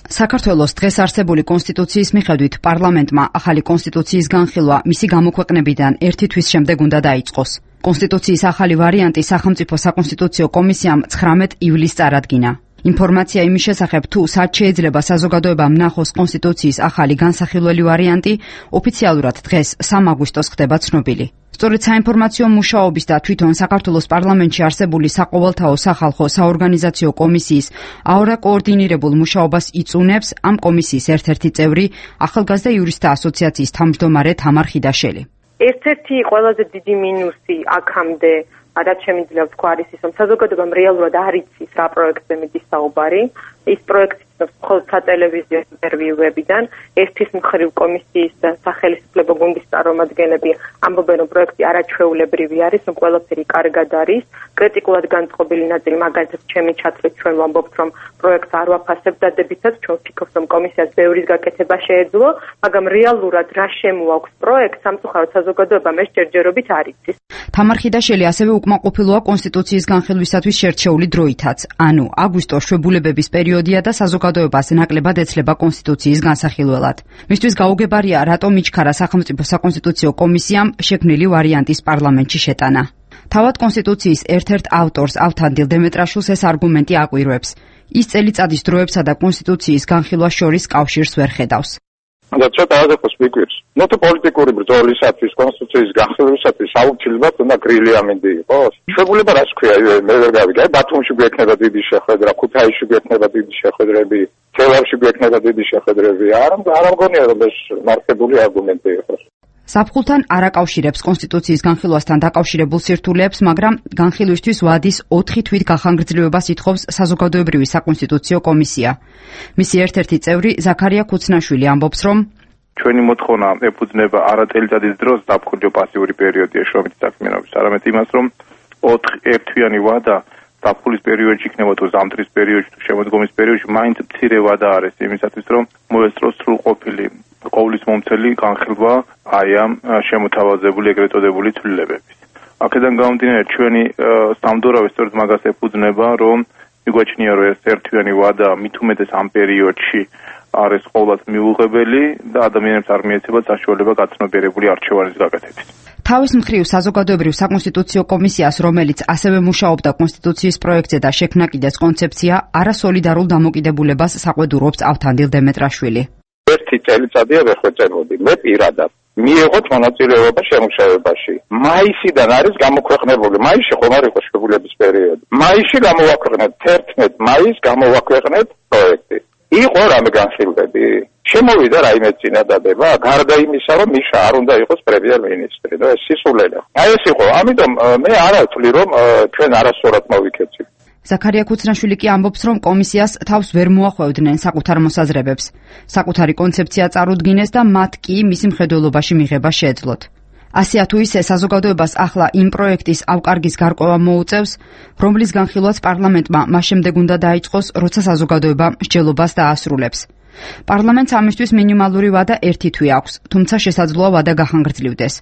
საქართველოს დღეს არსებული კონსტიტუციის მიხედვით პარლამენტმა ახალი კონსტიტუციის განხილვა მისი გამოქვეყნებიდან ერთი თვის შემდეგ უნდა დაიწყოს. კონსტიტუციის ახალი ვარიანტი სახელმწიფო საკონსტიტუციო კომისიამ ცხრამეტ ივლისს წარადგინა. ინფორმაცია იმის შესახებ, თუ სად შეიძლება საზოგადოებამ ნახოს კონსტიტუციის ახალი განსახილველი ვარიანტი, ოფიციალურად დღეს სამი აგვისტოს ხდება ცნობილი. სწორედ საინფორმაციო მუშაობის და თვითონ საქართველოს პარლამენტში არსებული საყოველთაო სახალხო საორგანიზაციო კომისიის აორა კოორდინირებულ მუშაობას იწუნებს ამ კომისიის ერთ-ერთი წევრი, ახალგაზრდა იურისტთა ასოციაციის თავმჯდომარე თამარ ხიდაშელი. ერთ-ერთი ყველაზე დიდი მინუსი აქამდე რაც შემიძლია ვთქვა არის ის, რომ საზოგადოებამ რეალურად არ იცის რა პროექტზე მიდის საუბარი. ის პროექტი მხოლოდ სატელევიზიო ინტერვიუებიდან ერთის მხრივ კომისიის სახელმწიფო გუნდის წარმომადგენლები ამბობენ, რომ პროექტი არაჩვეულებრივი არის, რომ ყველაფერი კარგად არის. კრიტიკულად განწყობილი ნაწილი, მაგალითად, ჩემი ჩათვლით ჩვენ ვამბობთ, რომ პროექტს არ ვაფასებ დადებითად, ჩვენ ვფიქრობთ, რომ კომისიას ბევრის გაკეთება შეეძლო, მაგრამ რეალურად რა შემოაქვს პროექტს, სამწუხაროდ საზოგადოებამ ეს ჯერჯერობით არ იცის. თამარ ხიდაშელი ასევე უკმაყოფილოა კონსტიტუციის განხილვისათვის შერჩეული დროითაც, ანუ აგვისტოს შვებულებების პერიოდია და საზოგადოებას ნაკლებად ეცლება კონსტიტუციის განსახილველად. მისთვის გაუგებარია, რატომ იჩქარა სახელმწიფო საკონსტიტუციო კომისიამ შექმნილი ვარიანტის პარლამენტში შეტანა. თავად კონსტიტუციის ერთ-ერთ ავტორს ავთანდილ დემეტრაშვილს ეს არგუმენტი აკვირვებს. ის წელიწადის დროებსა და კონსტიტუციის განხილვას შორის კავშირს ვერ ხედავს. და ცოტა აზრს მიგვირს. ნუ თუ პოლიტიკური ბრძოლისათვის, კონსტიტუციის განხილვისათვის აუცილებლად უნდა გრილი ამინდი იყოს. შვებულება რას ქვია, მე ვერ გავიგე. ბათუმში გვექნება დიდი შეხვედრა, ქუთაისში გვექნება დიდი შეხვედრები, თელავში გვექნება დიდი შეხვედრები. არ არ მგონია რომ ეს მართებული არგუმენტი იყოს. საფხულთან არ აკავშირებს კონსტიტუციის განხილვასთან დაკავშირებულ სირთულეებს, მაგრამ განხილვისთვის ვადის ოთხი თვით გახანგრძლივებას ითხოვს საზოგადოებრივი საკონსტიტუციო კომისია. მისი ერთ-ერთი წევრი ზაქარია ქუცნაშვილი ამბობს, რომ ჩვენი მოთხოვნა ეფუძნება არა წელიწადის დროს დაფხული პასიური პერიოდია შრომითი საქმიანობის, არამედ იმას, რომ ოთხი ერთვიანი ვადა დაფხულის პერიოდში იქნება თუ ზამთრის პერიოდში თუ შემოდგომის პერიოდში მაინც მცირე ვადა არის იმისათვის, რომ მოესწროს სრულყოფილი ყოვლის მომცელი განხილვა აი ამ შემოთავაზებული ეგრეთ წოდებული ცვლილებების. აქედან გამომდინარე ჩვენი სამდურავი სწორედ მაგას ეფუძნება, რომ მიგვაჩნია, რომ ეს ერთვიანი ვადა მით უმეტეს ამ პერიოდში არის ყოველად მიუღებელი და ადამიანებს არ მიეცემა საშუალება გაცნობიერებული არჩევანის გაკეთების. თავის მხრივ საზოგადოებრივ საკონსტიტუციო კომისიას, რომელიც ასევე მუშაობდა კონსტიტუციის პროექტზე და შექმნა კიდეც კონცეფცია, არასოლიდარულ დამოკიდებულებას საყვედურობს ავთანდილ დემეტრაშვილი. ერთი წელიწადია ვერ ხვეწებოდი. მე პირადად მიიღოთ მონაწილეობა შემუშავებაში. მაისიდან არის გამოქვეყნებული. მაისში ხომ არ იყო შვებულების პერიოდი. მაისში გამოვაქვეყნეთ ერთმეტ მაისს გამოვაქვეყნეთ პროექტი. იყო რამე განხილვები? შემოვიდა რაიმე წინადადება, გარდა იმისა, რომ მიშა არ უნდა იყოს პრემიერ-მინისტრი, და ეს სისულელე. აი ეს იყო, ამიტომ მე არ ვთვლი, რომ ჩვენ არასწორად მოვიქეცით. ზაქარია ქუცნაშვილი კი ამბობს, რომ კომისიას თავს ვერ მოახვევდნენ საკუთარ მოსაზრებებს. საკუთარი კონცეფცია წარუდგინეს და მათ კი მისი მხედველობაში მიღება შეეძლოთ. ასეა თუ ისე საზოგადოებას ახლა იმ პროექტის ავკარგის გარკვევა მოუწევს, რომლის განხილვაც პარლამენტმა მას შემდეგ უნდა დაიწყოს, როცა საზოგადოება მსჯელობას დაასრულებს. პარლამენტს ამისთვის მინიმალური ვადა ერთი თვე აქვს, თუმცა შესაძლოა ვადა გახანგრძლივდეს.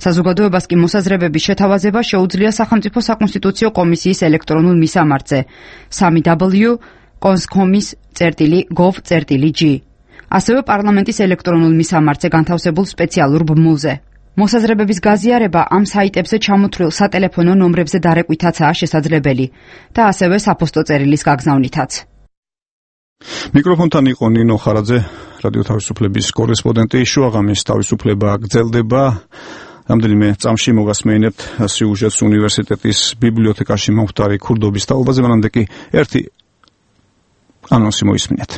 საზოგადოებას კი მოსაზრებების შეთავაზება შეუძლია სახელმწიფო საკონსტიტუციო კომისიის ელექტრონულ მისამართზე სამი დაბლიუ კონსკომის წერტილი gov წერტილი g. ასევე პარლამენტის ელექტრონულ მისამართზე განთავსებულ სპეციალურ ბმულზე. მოსაზრებების გაზიარება ამ საიტებზე ჩამოთვლილ სატელეფონო ნომრებზე დარეკვითაცაა შესაძლებელი და ასევე საფოსტო წერილის გაგზავნითაც. მიკროფონთან იყო ნინო ხარაძე, რადიო თავისუფლების კორესპონდენტი. შუაღამის თავისუფლება გრძელდება. რამდენიმე წამში მოგასმენებთ სიუჟეტს უნივერსიტეტის ბიბლიოთეკაში მომხდარი ქურდობის თაობაზე, მანამდე კი ერთი ანონსი მოისმინეთ.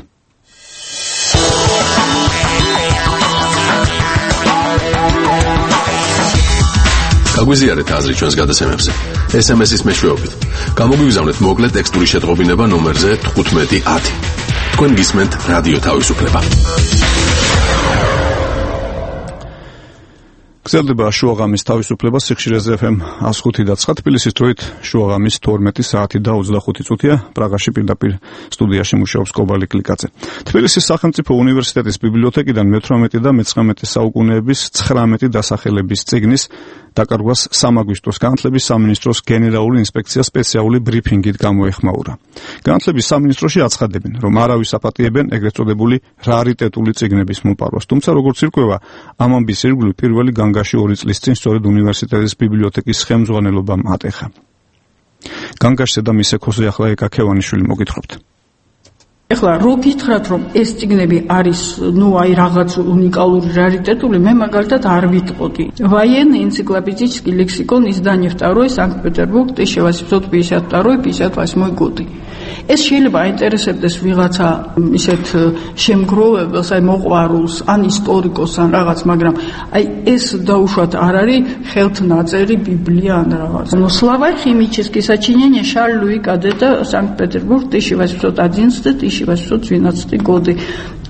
გაგვიზიარეთ აზრი ჩვენს გადაცემებზე. ეს ემ ეს-ის მეშვეობით. გამოგვიგზავნეთ მოკლე ტექსტური შეტყობინება ნომერზე თხუთმეტი ათი. თქვენ გისმენთ რადიო თავისუფლება. გრძელდება შუაღამის თავისუფლება სიხშირეზე ეფ ემ εκατს ხუთი და ცხრა, თბილისის დროით შუაღამის თორმეტი საათი და ოცდახუთი წუთია. პრაღაში პირდაპირ სტუდიაში მუშაობს კობალი კლიკაძე. თბილისის სახელმწიფო უნივერსიტეტის ბიბლიოთეკიდან მეთვრამეტე და მეცხრამეტე საუკუნეების ცხრამეტი დასახელების წიგნის დაკარგვას სამ აგვისტოს განათლების სამინისტროს გენერალური ინსპექცია სპეციალური ბრიფინგით გამოეხმაურა. განათლების სამინისტროში აცხადებენ, რომ არავის აპატიებენ ეგრეთ წოდებული რარიტეტული წიგნების მოპარვას, თუმცა როგორც ირკვევა, ამ ამბის ირგვლივ პირველი განგაში ორი წლის წინ სწორედ უნივერსიტეტის ბიბლიოთეკის ხელმძღვანელობამ ატეხა. განგაშზე და მის ექოზე ახლა ეკა ქევანიშვილი მოგითხრობთ. ეხლა რო გითხრათ, რომ ეს წიგნები არის, ну, აი რაღაც უნიკალური რარიტეტული, მე მაგალითად არ ვიტყოდი. Военный энциклопедический лексикон издание второе Санкт-Петербург тысяча восемьсот пятьдесят второй пятьдесят восьмой годы. ეს შეიძლება აინტერესებდეს ვიღაცა ისეთ შემგროვებელს, აი მოყვარულს, ან ისტორიკოს, ან რაღაც, მაგრამ აი ეს დაუშვათ არ არის ხელთნაწერი ბიბლია ან რაღაც. Ну, словарь химический сочинение Шарль Луи Кадета Санкт-Петербург тысяча восемьсот одиннадцатый тысяча восемьсот двенадцатый годы.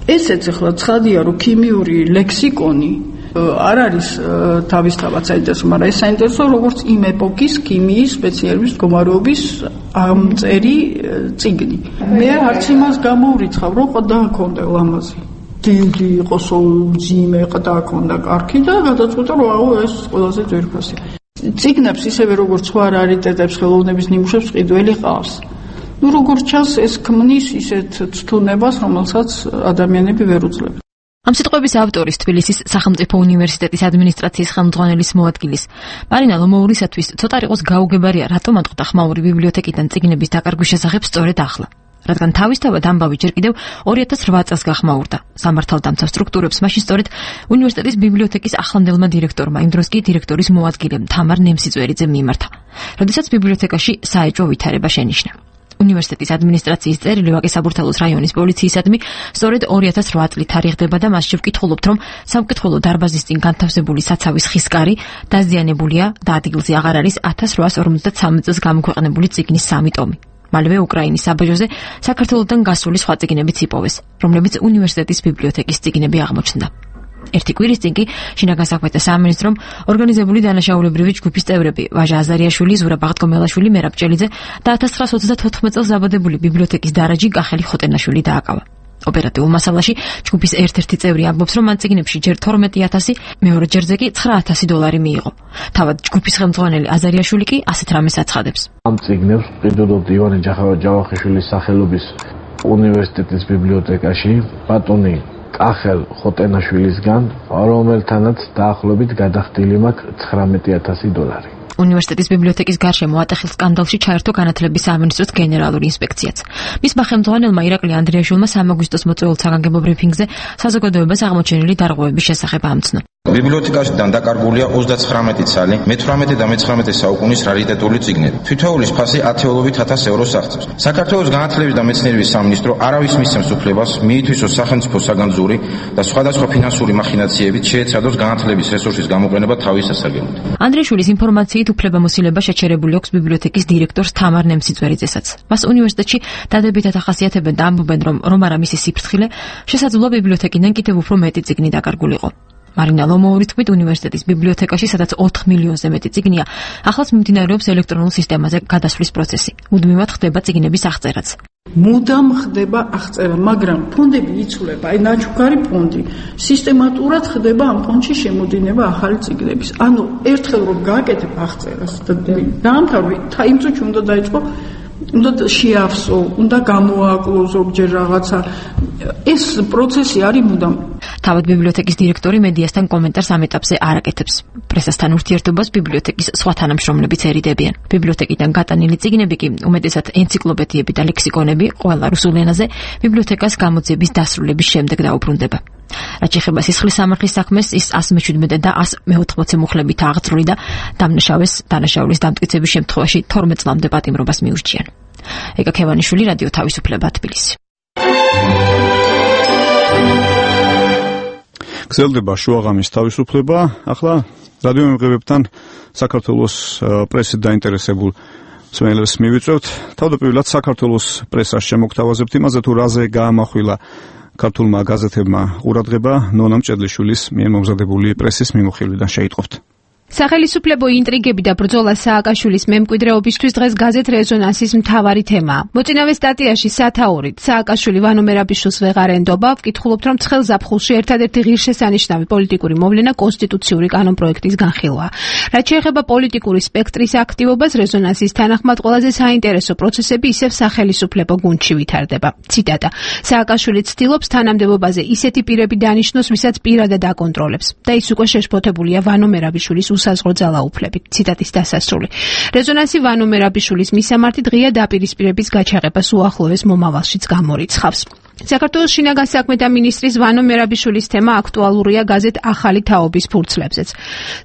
ესეც ახლა ცხადია, რომ ქიმიური ლექსიკონი არ არის თავისთავად საინტერესო, მაგრამ ეს საინტერესო როგორც იმ ეპოქის ქიმიის სპეციალების მდგომარეობის ამწერი წიგნი. მე არც იმას გამოვრიცხავ, რომ ყდა ჰქონდა ლამაზი. დიდი იყოს, მძიმე ყდა ჰქონდა კარგი და გადაწყვიტა, რომ აუ ეს ყველაზე ძვირფასი. წიგნებს ისევე როგორც სხვა რარიტეტებს, ხელოვნების ნიმუშებს ყიდველი ყავს. ну როგორც ჩანს ეს ქმნის ისეთ ცთუნებას, რომელსაც ადამიანები ვერ უძლებენ. ამ სიტყვების ავტორის თბილისის სახელმწიფო უნივერსიტეტის ადმინისტრაციის ხელმძღვანელის მოადგილის მარინა ლომოურისათვის ცოტა იყოს გაუგებარია, რატომ ატყდა ხმაური ბიბლიოთეკიდან წიგნების დაკარგვის შესახებ სწორედ ახლა. რადგან თავისთავად ამბავი ჯერ კიდევ ორი ათას რვა წელს გახმაურდა. სამართალდამცავ სტრუქტურებს მაშინ სწორედ უნივერსიტეტის ბიბლიოთეკის ახლანდელმა დირექტორმა, იმ დროს კი დირექტორის მოადგილემ თამარ ნემსიწვერიძემ მიმართა, როდესაც ბიბლიოთეკაში საეჭვო ვითარება შენიშნა. უნივერსიტეტის ადმინისტრაციის წერილი ვაკე-საბურთალოს რაიონის პოლიციისადმი სწორედ ორი ათას რვა წლით თარიღდება და მასში ვკითხულობთ, რომ სამკითხველო დარბაზის წინ განთავსებული საცავის ხისკარი დაზიანებულია და ადგილზე აღარ არის ათას რვაას ორმოცდათსამი წელს გამოქვეყნებული წიგნის სამი ტომი. მალევე უკრაინის საბაჟოზე საქართველოდან გასული სხვა წიგნებიც იპოვეს, რომლებიც უნივერსიტეტის ბიბლიოთეკის წიგნები აღმოჩნდა. ერთი კვირის წინ კი შინაგან საქმეთა სამინისტრომ ორგანიზებული დანაშაულებრივი ჯგუფის წევრები ვაჟა აზარიაშვილი, ზურაბ ბაღდგომელაშვილი, მერაბ ჭელიძე და ათას ცხრაას ოცდათოთხმეტ წელს დაბადებული ბიბლიოთეკის დარაჯი კახელი ხოტენაშვილი დააკავა. ოპერატიულ მასალაში ჯგუფის ერთ-ერთი წევრი ამბობს, რომ მან წიგნებში ჯერ თორმეტი ათასი, მეორე ჯერზე კი ცხრა ათასი დოლარი მიიღო. თავად ჯგუფის ხელმძღვანელი აზარიაშვილი კი ასეთ რამეს აცხადებს. ამ წიგნებს ყიდულობდი ივანე ჯავახიშვილის სახელობის უნივერსიტეტის ბიბლიოთეკაში ბატონი კახელ ხოტენაშვილისგან, რომელთანაც დაახლოებით გადახდილი მაქვს ცხრამეტი ათასი დოლარი. უნივერსიტეტის ბიბლიოთეკის გარშემო ატეხილ სკანდალში ჩაერთო განათლების სამინისტროს გენერალური ინსპექციაც. მისმა ხელმძღვანელმა ირაკლი ანდრიაშვილმა სამ აგვისტოს მოწვეულ საგანგებო ბრიფინგზე საზოგადოებას აღმოჩენილი დარღვევების შესახებ ამცნო. ბიბლიოთეკაშიდან დაკარგულია ოცდაცხრამეტი ცალი, მეთვრამეტე და მეცხრამეტე საუკუნის რარიტეტული წიგნები. თითოეულის ფასი ათეულობით ათას ევროს აღწევს. საქართველოს განათლების და მეცნიერების სამინისტრო არავის მისცემს უფლებას მიითვისოს სახელმწიფო საგანძური და სხვადასხვა ფინანსური მახინაციებით შეეცადოს განათლების რესურსის გამოყენება თავის სასარგებლოდ. ანდრეშვილის ინფორმაციით უფლებამოსილება შეჩერებული აქვს ბიბლიოთეკის დირექტორს თამარ ნემსიწვერიძესაც. მას უნივერსიტეტში დადებითად ახასიათებენ და ამბობენ, რომ რომ არა მისი სიფრთხილე, შესაძლოა ბიბლიოთეკიდან კიდევ უფრო მეტი წიგნი დაკარგულიყო. მარინა ლომოურის თქმით, უნივერსიტეტის ბიბლიოთეკაში, სადაც ოთხ მილიონზე მეტი წიგნია, ახლაც მიმდინარეობს ელექტრონულ სისტემაზე გადასვლის პროცესი. მუდმივად ხდება წიგნების აღწერაც. მუდამ ხდება აღწერა, მაგრამ ფონდები იცვლება, აი ნაჩუქარი ფონდი. სისტემატურად ხდება ამ ფონდში შემოდინება ახალი წიგნების. ანუ ერთხელ რომ გააკეთებ აღწერას და დაამთავრე, იმ წუთში უნდა დაიწყო უნდა შეავსო, უნდა გამოაკლო ზოგჯერ რაღაცა. ეს პროცესი არის მუდამ. თავად ბიბლიოთეკის დირექტორი მედიასთან კომენტარს ამ ეტაპზე არ აკეთებს. პრესასთან ურთიერთობას ბიბლიოთეკის სხვა თანამშრომლებიც ერიდებიან. ბიბლიოთეკიდან გატანილი წიგნები კი, უმეტესად ენციკლოპედიები და ლექსიკონები, ყველა რუსულ ენაზე ბიბლიოთეკას გამოძიების დასრულების შემდეგ დაუბრუნდება. რაც შეეხება სისხლის სამართლის საქმეს, ის ას მეჩვიდმეტე და ას მეოთხმოცი მუხლებით აღწრული და დამნაშავეს დანაშაულის დამტკიცების შემთხვევაში თორმეტ წლამდე პატიმრობას მიურჩიან. ეკა ქევანიშვილი, რადიო თავისუფლება, თბილისი. გრძელდება შუაღამის თავისუფლება. ახლა რადიო მემღებებთან საქართველოს პრესით დაინტერესებულ მსმენელებს მივიწევთ. თავდაპირველად საქართველოს პრესას შემოგთავაზებთ იმაზე, თუ რაზე გაამახვილა ქართულმა გაზეთებმა ყურადღება ნონა მჭედლიშვილის მიერ მომზადებული პრესის მიმოხილვიდან. შეიტყობთ. სახელისუფლებო ინტრიგები და ბრძოლა სააკაშვილის მემკვიდრეობისთვის დღეს გაზეთ რეზონანსის მთავარი თემაა. მოწინავე სტატიაში სათაურით სააკაშვილი ვანო მერაბიშვილს ვეღარ ენდობა, ვკითხულობთ, რომ ცხელ ზაფხულში ერთადერთი ღირსშესანიშნავი პოლიტიკური მოვლენა კონსტიტუციური კანონპროექტის განხილვაა. რაც შეეხება პოლიტიკური სპექტრის აქტივობას, რეზონანსის თანახმად ყველაზე საინტერესო პროცესები ისევ სახელისუფლებო გუნდში ვითარდება. ციტატა: სააკაშვილი ცდილობს თანამდებობაზე ისეთი პირები დანიშნოს, ვისაც პირადად აკონტროლებს და ის უკვე შეშფოთებულია ვანო მერაბიშვილის სასაზღვრო ძალაუფლებით. ციტატის დასასრული. რეზონანსი ვანო მერაბიშვილის მისამართი დღეა დაპირისპირების გაჩაღებას უახლოეს მომავალშიც გამორიცხავს. საქართველოს შინაგან საქმეთა მინისტრის ვანო მერაბიშვილის თემა აქტუალურია გაზეთ ახალი თაობის ფურცლებზეც.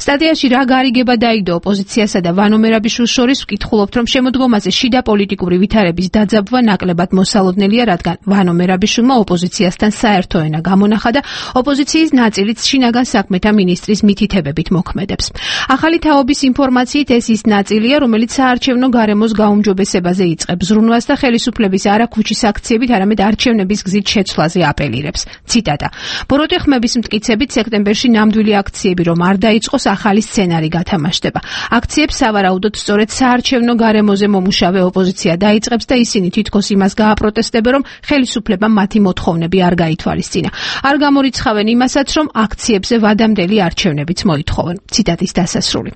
სტატიაში რა გარიგება დაიდო ოპოზიციასა და ვანო მერაბიშვილს შორის, ვკითხულობთ, რომ შემოდგომაზე შიდა პოლიტიკური ვითარების დაძაბვა ნაკლებად მოსალოდნელია, რადგან ვანო მერაბიშვილმა ოპოზიციასთან საერთო ენა გამონახა და ოპოზიციის ნაწილიც შინაგან საქმეთა მინისტრის მითითებებით მოქმედებს. ახალი თაობის ინფორმაციით ეს ის ნაწილია, რომელიც საარჩევნო გარემოს გაუმჯობესებაზე იწყებს ზრუნვას და ხელისუფლების არა ქუჩის აქციებით, არამედ არჩევნების გზით შეცვლაზე აპელირებს. ციტატა: ბოროტი ხმების მტკიცებით სექტემბერში ნამდვილი აქციები რომ არ დაიწყოს, ახალი სცენარი გათამაშდება. აქციებს სავარაუდოდ სწორედ საარჩევნო გარემოზე მომუშავე ოპოზიცია დაიწყებს და ისინი თითქოს იმას გააპროტესტებენ, რომ ხელისუფლებამ მათი მოთხოვნები არ გაითვალისწინა. არ გამორიცხავენ იმასაც, რომ აქციებზე ვადამდელი არჩევნებიც მოითხოვენ. ციტატის დასასრული.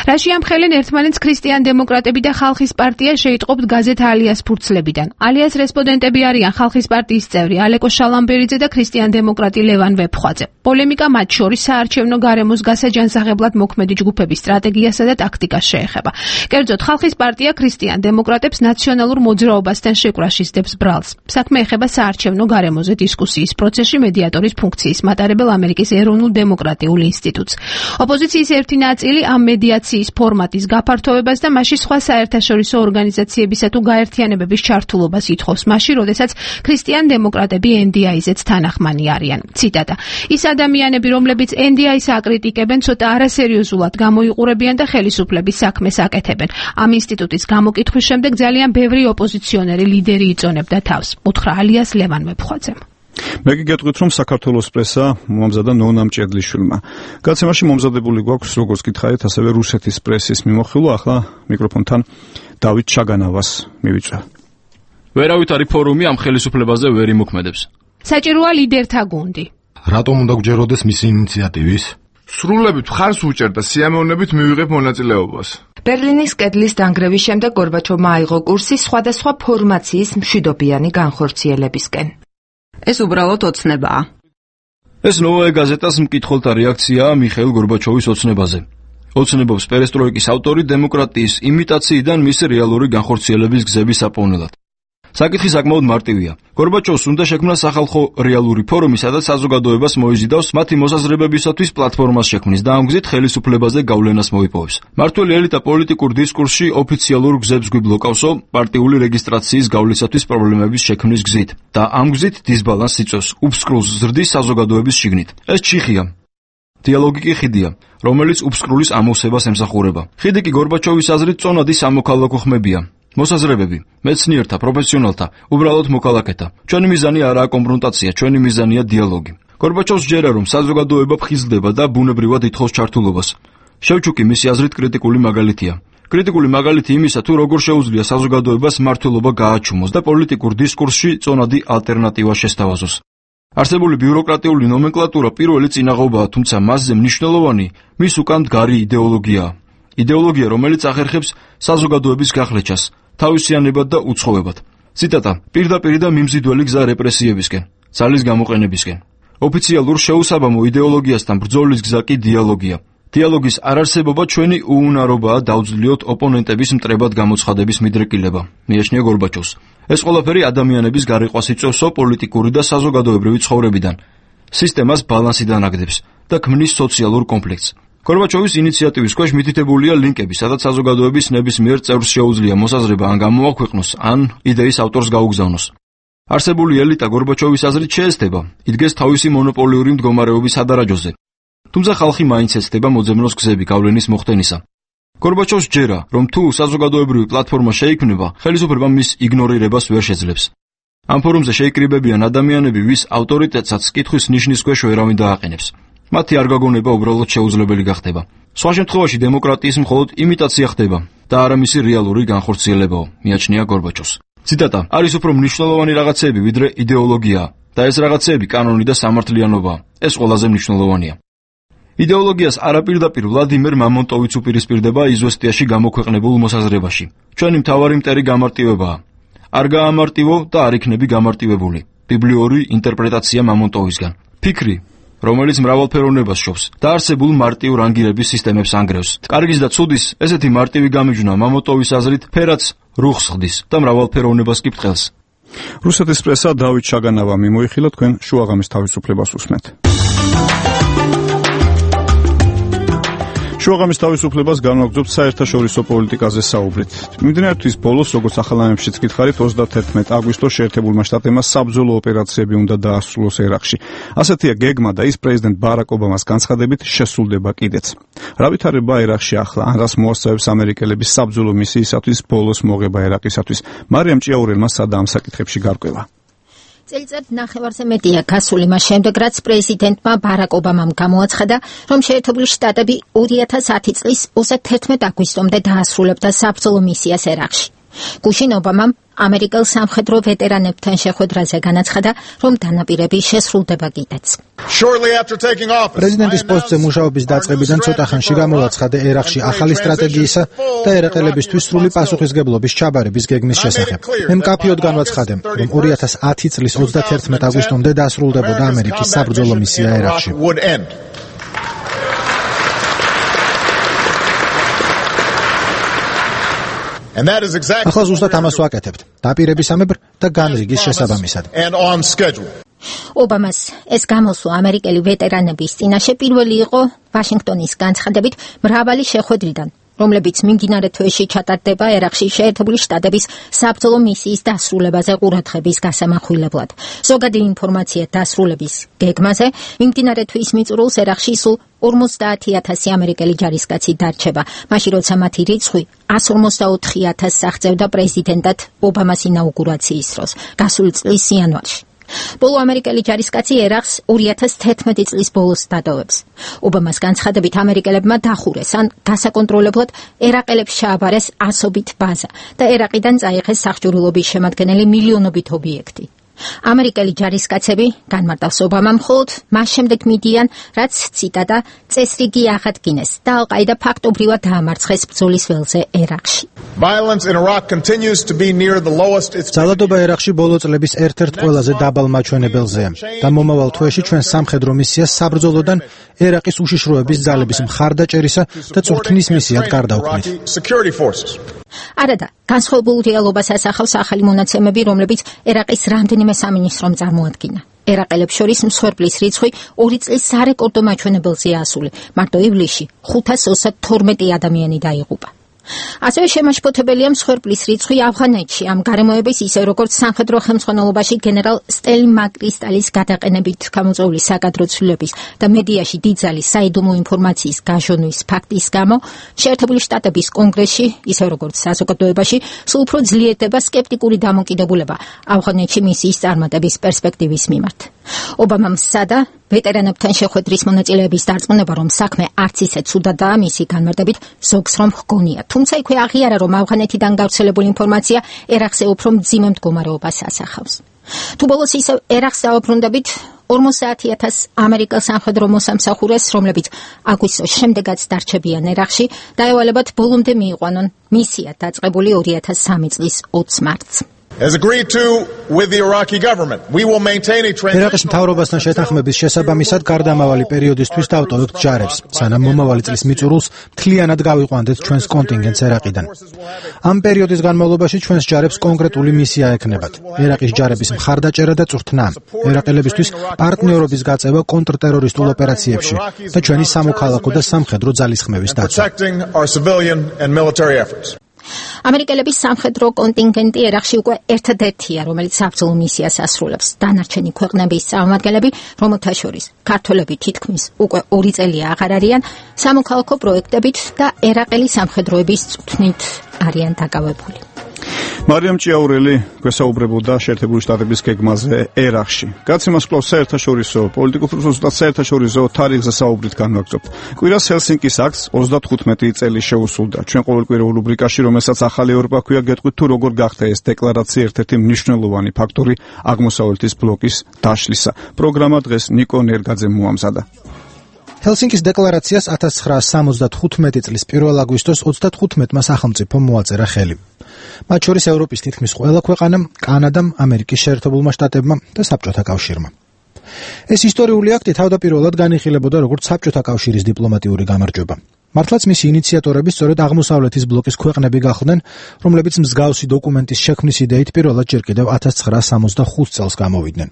რაში ამხელენ ერთმანეთს ქრისტიან დემოკრატები და ხალხის პარტია, შეიტყობთ გაზეთ ალიას ფურცლებიდან. ალიას რესპონდენტები არიან ხალხის პარტიის წევრი ალეკო შალამბერიძე და ქრისტიან დემოკრატი ლევან ვეფხვაძე. პოლემიკა მათ შორის საარჩევნო გარემოს გასაჯანსაღებლად მოქმედი ჯგუფების სტრატეგიასა და ტაქტიკას შეეხება. კერძოდ, ხალხის პარტია ქრისტიან დემოკრატებს ნაციონალურ მოძრაობასთან შეკვრაში სდებს ბრალს. საქმე ეხება საარჩევნო გარემოზე დისკუსიის პროცესში მედიატორის ფუნქციის მატარებელ ამერიკის ეროვნულ დემოკრატიულ ინსტიტუტს. ოპოზიციის ერთი ნაწილი ამ მედიაციის ფორმატის გაფართოვებას და მასში სხვა საერთაშორისო ორგანიზაციებისა თუ გაერთიანებების ჩართულობას ითხოვს, მაშინ, როდესაც ქრისტიან დემოკრატები ენ დი აი-ზეც თანახმანი არიან. ციტატა: ის ადამიანები, რომლებიც ენ დი აი-ს აკრიტიკებენ, ცოტა არასერიოზულად გამოიყურებიან და ხელისუფლების საქმეს აკეთებენ. ამ ინსტიტუტის გამოკითხვის შემდეგ ძალიან ბევრი ოპოზიციონერი ლიდერი იწონებდა თავს. უთხრა ალიას ლევან ვეფხვაძემ. მე კი გეტყვით, რომ საქართველოს პრესა მომზადა ნონა მჭედლიშვილმა. გაცემაში მომზადებული გვაქვს, როგორც გითხარით, ასევე რუსეთის პრესის მიმოხილვა. ახლა მიკროფონთან დავით ჩაგანავას მივიწევ. ვერავით არის ფორუმი ამ ხელისუფლებაზე ვერ იმოქმედებს. საჭიროა ლიდერთა გუნდი. რატომ უნდა გჯეროდეს მისი ინიციატივის? სრულებით ხარს უჭერთ და სიამოვნებით მივიღებ მონაწილეობას. ბერლინის კედლის დანგრევის შემდეგ გორბაჩოვმა აიღო კურსი სხვადასხვა ფორმაციის მშვიდობიანი განხორციელებისკენ. ეს უბრალოდ ოცნებაა. ეს ნოვაე გაზეტას მკითხველთა რეაქციაა მიხეილ გორბაჩოვის ოცნებაზე. ოცნებობს პერესტროიკის ავტორი დემოკრატიის იმიტაციიდან მისი რეალური განხორციელების გზების საპოვნელად. საკითხი საკმაოდ მარტივია. გორბაჩოვს უნდა შექმნა სახალხო რეალური ფორუმი, სადაც საზოგადოებას მოიზიდავს მათი მოსაზრებებისათვის პლატფორმას შექმნის და ამ გზით ხელისუფლებაზე გავლენას მოიპოვებს. მართველი ელიტა პოლიტიკურ დისკურსში ოფიციალურ გზებს გვიბლოკავსო პარტიული რეგისტრაციის გავლისათვის პრობლემების შექმნის გზით და ამ გზით დისბალანსს იწვევს, უბსკრულს ზრდის საზოგადოების შიგნით. ეს ჩიხია. დიალოგი კი ხიდია, რომელიც უბსკრულის ამოვსებას ემსახურება. ხიდი კი გორბაჩოვის აზრით წონადი სამოქალაქო ხმებია. მოსაზრებები, მეცნიერთა, პროფესიონალთა, უბრალოდ მოქალაქეთა. ჩვენი მიზანი არაა კონფრონტაცია, ჩვენი მიზანია დიალოგი. გორბაჩოვს ჯერა რომ საზოგადოება ფხიზლდება და ბუნებრივად ითხოვს ჩართულობას. შევჩუკი მისი აზრით კრიტიკული მაგალითია. კრიტიკული მაგალითი იმისა, თუ როგორ შეუძლია საზოგადოებას მმართველობა გააჩუმოს და პოლიტიკურ დისკურსში წონადი ალტერნატივა შესთავაზოს. არსებული ბიუროკრატიული ნომენკლატურა პირველი წინაღობაა, თუმცა მასზე მნიშვნელოვანი მის უკან მდგარი იდეოლოგიაა. იდეოლოგია, რომელიც ახერხებს საზოგადოების გახლეჩას, თავისიანებად და უცხოებად. ციტატა: პირდაპირ და მიმზიდველი გზა რეპრესიებისკენ, ძალის გამოყენებისკენ. ოფიციალურ შეუსაბამო იდეოლოგიასთან ბრძოლის გზა კი დიალოგია. დიალოგის არარსებობა ჩვენი უუნარობაა დავძლიოთ ოპონენტების მტრებად გამოცხადების მიდრეკილება, მიაჩნია გორბაჩოვს. ეს ყველაფერი ადამიანების გარიყვას იწვევსო პოლიტიკური და საზოგადოებრივი ცხოვრებიდან, სისტემას ბალანსიდან აგდებს და ქმნის სოციალურ კონფლიქტს. გორბაჩოვის ინიციატივის ქვეშ მითითებულია ლინკები, სადაც საზოგადოების ნებისმიერ წევრს შეუძლია მოსაზრება ან გამოაქვეყნოს, ან იდეის ავტორს გაუგზავნოს. არსებული ელიტა გორბაჩოვის აზრით შეესწება, იდგეს თავისი მონოპოლიური მდგომარეობის სადარაჯოზე. თუმცა ხალხი მაინც ეცდება მოძებნოს გზები გავლენის მოხდენისა. გორბაჩოვს ჯერა, რომ თუ საზოგადოებრივი პლატფორმა შეიქმნება, ხელისუფლება მის იგნორირებას ვერ შეძლებს. ამ ფორუმზე შეიკრიბებიან ადამიანები, ვის ავტორიტეტსაც კითხვის ნიშნის ქვეშ ვერავინ დააყენებს. მათი არ გაგონება უბრალოდ შეუძლებელი გახდება. სხვა შემთხვევაში დემოკრატიის მხოლოდ იმიტაცია ხდება და არა მისი რეალური განხორციელებაო, მიაჩნია გორბაჩოვს. ციტატა: არის უფრო მნიშვნელოვანი რაღაცეები, ვიდრე იდეოლოგიაა და ეს რაღაცეები კანონი და სამართლიანობაა. ეს ყველაზე მნიშვნელოვანია. იდეოლოგიას არაპირდაპირ ვლადიმერ მამონტოვიც უპირისპირდება იზვესტიაში გამოქვეყნებულ მოსაზრებაში. ჩვენი მთავარი მტერი გამარტივებაა. არ გაამარტივო და არ იქნები გამარტივებული. ბიბლიური ინტერპრეტაცია მამონტოვისგან. ფიქრი, რომელიც მრავალფეროვნებას შობს და არსებულ მარტივ რანგირების სისტემებს ანგრევს. კარგის და ცუდის ესეთი მარტივი გამიჯვნა მამონტოვის აზრით ფერაც რუხს ხდის და მრავალფეროვნებას კი ბრტყელს. რუსეთის პრესა დავით ჩაგანავა მიმოიხილა, თქვენ შუაღამის თავისუფლებას უსმენთ. შუაღამის თავისუფლებას განვაგრძობთ საერთაშორისო პოლიტიკაზე საუბრით. მიმდინარე თვის ბოლოს, როგორც ახალამებშიც გითხარით, ოცდაათერთმეტი აგვისტოს შეერთებულმა შტატებმა საბრძოლო ოპერაციები უნდა დაასრულოს ერაყში. ასეთია გეგმა და ის პრეზიდენტ ბარაკ ობამას განცხადებით შესრულდება კიდეც. რა ვითარება ერაყში ახლა, ან რას მოასწავებს ამერიკელების საბრძოლო მისიისათვის ბოლოს მოღება ერაყისათვის? მარიამ ჭიაურელმა სადა ამ საკითხებში გარკვევა. წელიწად ნახევარზე მეტია გასული მას შემდეგ, რაც პრეზიდენტმა ბარაკ ობამამ გამოაცხადა, რომ შეერთებული შტატები ორი ათას ათი წლის ოცდაათერთმეტი აგვისტომდე დაასრულებდა საბრძოლო მისიას ერაყში. გუშინ ობამამ ამერიკელ სამხედრო ვეტერანებთან შეხვედრაზე განაცხადა, რომ დანაპირები შესრულდება კიდეც. პრეზიდენტის პოსტზე მუშაობის დაწყებიდან ცოტა ხანში გამოვაცხადე ერაყში ახალი სტრატეგიისა და ერაყელებისთვის სრული პასუხისგებლობის ჩაბარების გეგმის შესახებ. მე მკაფიოდ განვაცხადე, რომ ორი ათას ათი წლის ოცდაათერთმეტი აგვისტომდე დასრულდებოდა ამერიკის საბრძოლო მისია ერაყში. ახლა ზუსტად ამას ვაკეთებთ, დაპირებისამებრ და განრიგის შესაბამისად. ობამას ეს გამოსვლა ამერიკელი ვეტერანების წინაშე პირველი იყო ვაშინგტონის განცხადებით მრავალი შეხვედრიდან, რომლებიც მიმდინარე თვეში ჩატარდება ერაყში შეერთებული შტატების საბრძოლო მისიის დასრულებაზე ყურადღების გასამახვილებლად. ზოგადი ინფორმაცია დასრულების გეგმაზე მიმდინარე თვის მიწურულს ერაყში სულ ორმოცდაათი ათასი ამერიკელი ჯარისკაცი დარჩება, მაშინ როცა მათი რიცხვი εκατს ორმოცდაოთხი ათასს აღწევდა პრეზიდენტად ობამას ინაუგურაციის დროს, გასული წლის იანვარში. ბოლო ამერიკელი ჯარისკაცი ერაყს ორი ათას თერთმეტი წლის ბოლოს დატოვებს. ობამას განცხადებით ამერიკელებმა დახურეს ან გასაკონტროლებლად ერაყელებს ჩააბარეს ასობით ბაზა და ერაყიდან წაიღეს სახჭურულობის შემადგენელი მილიონობით ობიექტი. ამერიკელი ჯარისკაცები განმარტავს ობამამ მხოლოდ მას შემდეგ მიდიან, რაც ციტატა წესრიგი აღადგინეს და ალ-ყაიდა ფაქტობრივად დაამარცხეს ბრძოლის ველზე ერაყში. ძალადობა ერაყში ბოლო წლების ერთ-ერთ ყველაზე დაბალ მაჩვენებელზეა და მომავალ თვეში ჩვენ სამხედრო მისიას საბრძოლოდან ერაყის უშიშროების ძალების მხარდაჭერისა და წვრთნის მისიად გარდავქმნით. არადა განსხვავებულ რეალობას ასახავს ახალი მონაცემები, რომლებიც ერაყის რამდენიმე სამინისტრომ წარმოადგინა. ერაყელებს შორის მსხვერპლის რიცხვი ორი წლის სარეკორდო მაჩვენებელზეა ასული. მარტო ივლისში ხუთას ოცდათორმეტი ადამიანი დაიღუპა. ასევე შემაშფოთებელია მსხვერპლის რიცხვი ავღანეთში ამ გარემოების ისე როგორც სამხედრო ხელმძღვანელობაში გენერალ სტელი მაკრისტალის გადაყენებით გამოწვეული საკადრო ცვლილების და მედიაში დიდძალი საიდუმლო ინფორმაციის გაჟონვის ფაქტის გამო შეერთებული შტატების კონგრესში ისე როგორც საზოგადოებაში სულ უფრო ძლიერდება სკეპტიკური დამოკიდებულება ავღანეთში მისიის წარმატების პერსპექტივის მიმართ. ობამამ სცადა ვეტერანებთან შეხვედრის მონაწილეების დარწმუნება, რომ საქმე არც ისე ცუდადაა მისი განმარტებით ზოგს რომ ჰგონია. თუმცა იქვე აღიარა, რომ ავღანეთიდან გავრცელებული ინფორმაცია ერაყზე უფრო მძიმე მდგომარეობას ასახავს. თუ ბოლოს ისევ ერაყს დავაბრუნდებით ორმოცდაათი ათას ამერიკელ სამხედრო მოსამსახურეს, რომლებიც აგვისტოს შემდეგაც დარჩებიან ერაყში, დაევალებათ ბოლომდე მიიყვანონ მისია დაწყებული ორი ათას სამი წლის ოცს მარტს. As agreed to with the Iraqi government, we will maintain a transition. ერაყის მთავრობასთან შეთანხმების შესაბამისად გარდამავალი პერიოდისთვის დავტოვებთ ჯარებს, სანამ მომავალი წლის მიწურულს მთლიანად გავიყვანდეთ ჩვენს კონტინგენტს ერაყიდან. ამ პერიოდის განმავლობაში ჩვენს ჯარებს კონკრეტული მისია ექნებათ. ერაყის ჯარების მხარდაჭერა და წვრთნა, ერაყელებისთვის პარტნიორობის გაწევა კონტრტერორისტულ ოპერაციებში და ჩვენი სამოქალაქო და სამხედრო ძალისხმევის დაცვა. ამერიკელების სამხედრო კონტინგენტი ერაყში უკვე ერთადერთია, რომელიც საბრძოლო მისიას ასრულებს. დანარჩენი ქვეყნების წარმომადგენლები, რომელთა შორის ქართველები თითქმის უკვე ორი წელია აღარ არიან, სამოქალაქო პროექტებით და ერაყელი სამხედროების წვრთნით არიან დაკავებული. მარიამ ჭიაურელი გვესაუბრებოდა შეერთებული შტატების გეგმაზე ერაყში. გაცემას კვლავ საერთაშორისო პოლიტიკურ და საერთაშორისო თარიღზე საუბრით განვაგრძობთ. კვირას ჰელსინკის აქტს ოცდათხუთმეტი წელი შეუსრულდა. ჩვენ ყოველკვირეულ რუბრიკაში, რომელსაც ახალი ევროპა ქვია, გეტყვით თუ როგორ გახდა ეს დეკლარაცია ერთ-ერთი მნიშვნელოვანი ფაქტორი აღმოსავლეთის ბლოკის დაშლისა. პროგრამა დღეს ნიკო ნერგაძემ მოამზადა. ჰელსინკის დეკლარაციას ათას ცხრაასი სამოცდათხუთმეტი წლის პირველ აგვისტოს ოცდათხუთმეტმა სახელმწიფომ მოაწერა ხელი. მათ შორის ევროპის თითქმის ყველა ქვეყანამ, კანადამ, ამერიკის შეერთებულმა შტატებმა და საბჭოთა კავშირმა. ეს ისტორიული აქტი თავდაპირველად განიხილებოდა როგორც საბჭოთა კავშირის დიპლომატიური გამარჯვება. მართლაც მისი ინიციატორები სწორედ აღმოსავლეთის ბლოკის ქვეყნები გახლდნენ, რომლებიც მსგავსი დოკუმენტის შექმნის იდეით პირველად ჯერ კიდევ ათას ცხრაასი სამოცდახუთ წელს გამოვიდნენ.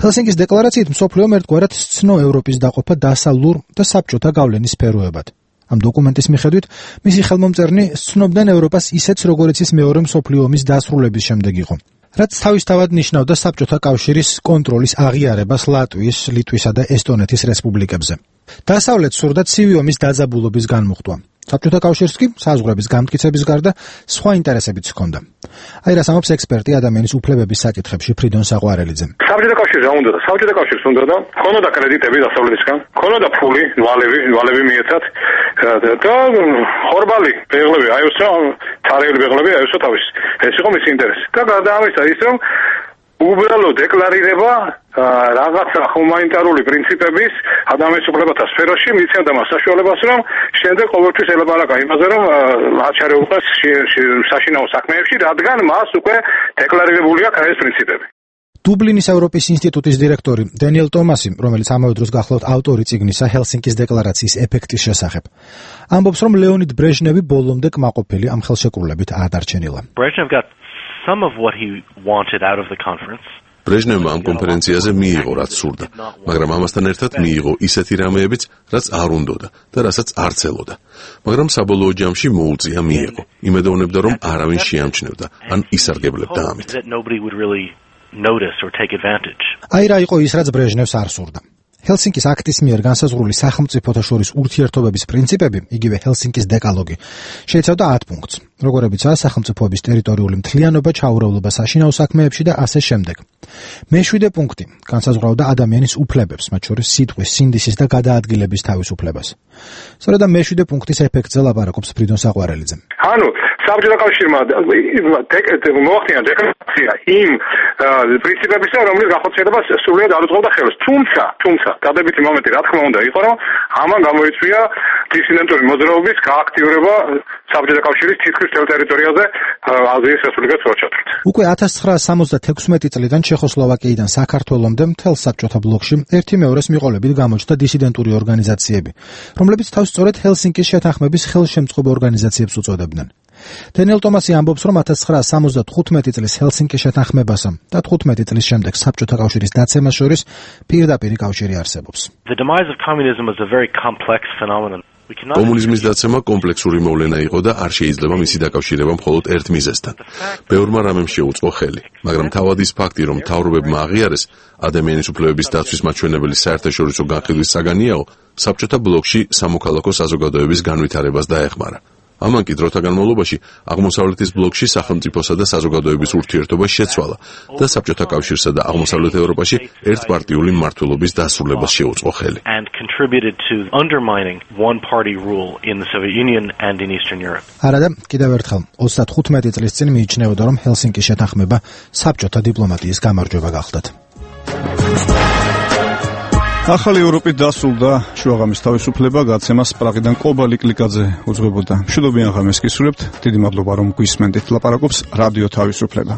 ჰელსინკის დეკლარაციით მსოფლიომ ერთგვარად სცნო ევროპის დაყოფა დასავლურ და საბჭოთა გავლენის სფეროებად. ამ დოკუმენტის მიხედვით მისი ხელმომწერნი სცნობდნენ ევროპას ისეც, როგორიც ის მეორე მსოფლიო ომის დასრულების შემდეგ იყო. რაც თავისთავად ნიშნავდა საბჭოთა კავშირის კონტროლის აღიარებას ლატვიის, ლიტვისა და ესტონეთის რესპუბლიკებზე. დასავლეთს სურდა ცივი ომის დაძაბულობის განმუხტვა. საბჭოთა კავშირს კი საზღვრების გამტკიცების გარდა სხვა ინტერესებიც ჰქონდა. აი რას ამბობს ექსპერტი ადამიანის უფლებების საკითხებში ფრიდონ საყვარელიძე. საბჭოთა კავშირს რა უნდა და საბჭოთა კავშირს უნდა და ქონოდა კრედიტები დასავლეთისგან, ქონოდა ფული, ვალები, ვალები მიეცათ და ხორბალი, ბეღლები, აიოსო, თარიღი ბეღლები, აიოსო თავის. ეს იყო მისი ინტერესი. და გარდა ამისა ის რომ უბრალოდ დეკლარირება რაღაცა ჰუმანიტარული პრინციპების ადამიანის უფლებათა სფეროში მიცემდა მას საშუალებას, რომ შემდეგ ყოველთვის ელაპარაკა იმაზე, რომ აჩარეულყოს საშინაო საქმეებში, რადგან მას უკვე დეკლარირებული აქვს ეს პრინციპები. დუბლინის ევროპის ინსტიტუტის დირექტორი დენიელ ტომასი, რომელიც ამავე დროს გახლავთ ავტორი წიგნისა ჰელსინკის დეკლარაციის ეფექტის შესახებ, ამბობს, რომ ლეონიდ ბრეჟნევი ბოლომდე კმაყოფილი ამ ხელშეკრულებით არ დარჩენილა. Some of what he wanted out of the conference. ბრეჟნევმა ამ კონფერენციაზე მიიღო რაც სურდა, მაგრამ ამასთან ერთად მიიღო ისეთი რამეებიც, რაც არ უნდოდა და რასაც არ ცელოდა. მაგრამ საბოლოო ჯამში მოუწია მიიღო. იმედოვნებდა, რომ არავინ შეამჩნევდა, ან ისარგებლებდა ამით. აი რა იყო ის, რაც ბრეჟნევს არ სურდა. ჰელსინკის აქტის მიერ განსაზღვრული სახელმწიფოთა შორის ურთიერთობების პრინციპები, იგივე ჰელსინკის დეკალოგი, შეიცავდა ათ პუნქტს, როგორებიცაა სახელმწიფოების ტერიტორიული მთლიანობა, ჩაურევლობა საშინაო საქმეებში და ასე შემდეგ. მეშვიდე პუნქტი განსაზღვრავდა ადამიანის უფლებებს, მათ შორის სიტყვის, სინდისის და გადაადგილების თავისუფლებას. სწორედ ამ მეშვიდე პუნქტის ეფექტზე ლაპარაკობს ფრიდონ საყვარელიძე. ანუ საბჭოთა კავშირმა მოახდინა დეკლარაცია იმ პრინციპებისა, რომლის განხორციელებას სრულიად არ უწყობდა ხელს. თუმცა, თუმცა დადებითი მომენტი რა თქმა უნდა იყო, რომ ამან გამოიწვია დისიდენტური მოძრაობის გააქტიურება საბჭოთა კავშირის თითქმის მთელ ტერიტორიაზე აზიის რესპუბლიკას როჩატრით. უკვე ათას ცხრაასი სამოცდათექვსმეტი წლიდან ჩეხოსლოვაკიიდან საქართველომდე მთელ საბჭოთა ბლოკში ერთი მეორეს მიყოლებით გამოჩნდა დისიდენტური ორგანიზაციები, რომლებიც თავს სწორედ ჰელსინკის შეთანხმების ხელშემწყობ ორგანიზაციებს უწოდებდნენ. დენიელ ტომასი ამბობს, რომ ათას ცხრაასი სამოცდათხუთმეტი წლის ჰელსინკის შეთანხმებასა და თხუთმეტი წლის შემდეგ საბჭოთა კავშირის დაცემას შორის პირდაპირი კავშირი არსებობს. The demise of communism was a very complex phenomenon. კომუნიზმის დაცემა კომპლექსური მოვლენა იყო და არ შეიძლება მისი დაკავშირება მხოლოდ ერთ მიზეზთან. ბევრმა რამემ შეუწყო ხელი, მაგრამ თავად ის ფაქტი, რომ მთავრობებმა აღიარეს ადამიანის უფლებების დაცვის მაჩვენებელი საერთაშორისო განხილვის საგანიაო, საბჭოთა ბლოკში სამოქალაქო საზოგადოების განვითარებას დაეხმარა. ამან კი დროთა განმავლობაში აღმოსავლეთის ბლოკში სახელმწიფოსა და საზოგადოების ურთიერთობა შეცვალა და საბჭოთა კავშირსა და აღმოსავლეთ ევროპაში ერთპარტიული მმართველობის დასრულებას შეუწყო ხელი. And contributed to undermining one party rule in the Soviet Union and in Eastern Europe. არადა კიდევ ერთხელ ოცდათხუთმეტი წლის წინ მიიჩნეოდა, რომ ჰელსინკის შეთანხმება საბჭოთა დიპლომატიის გამარჯვება გახლდათ. ახალი ევროპით დასრულდა შუაღამის თავისუფლება, გაცემას პრაღიდან კობა ლიკლიკაძე უძღვებოდა. მშვიდობიან ღამეს გისურვებთ. დიდი მადლობა რომ გვისმენთ. ლაპარაკობს რადიო თავისუფლება.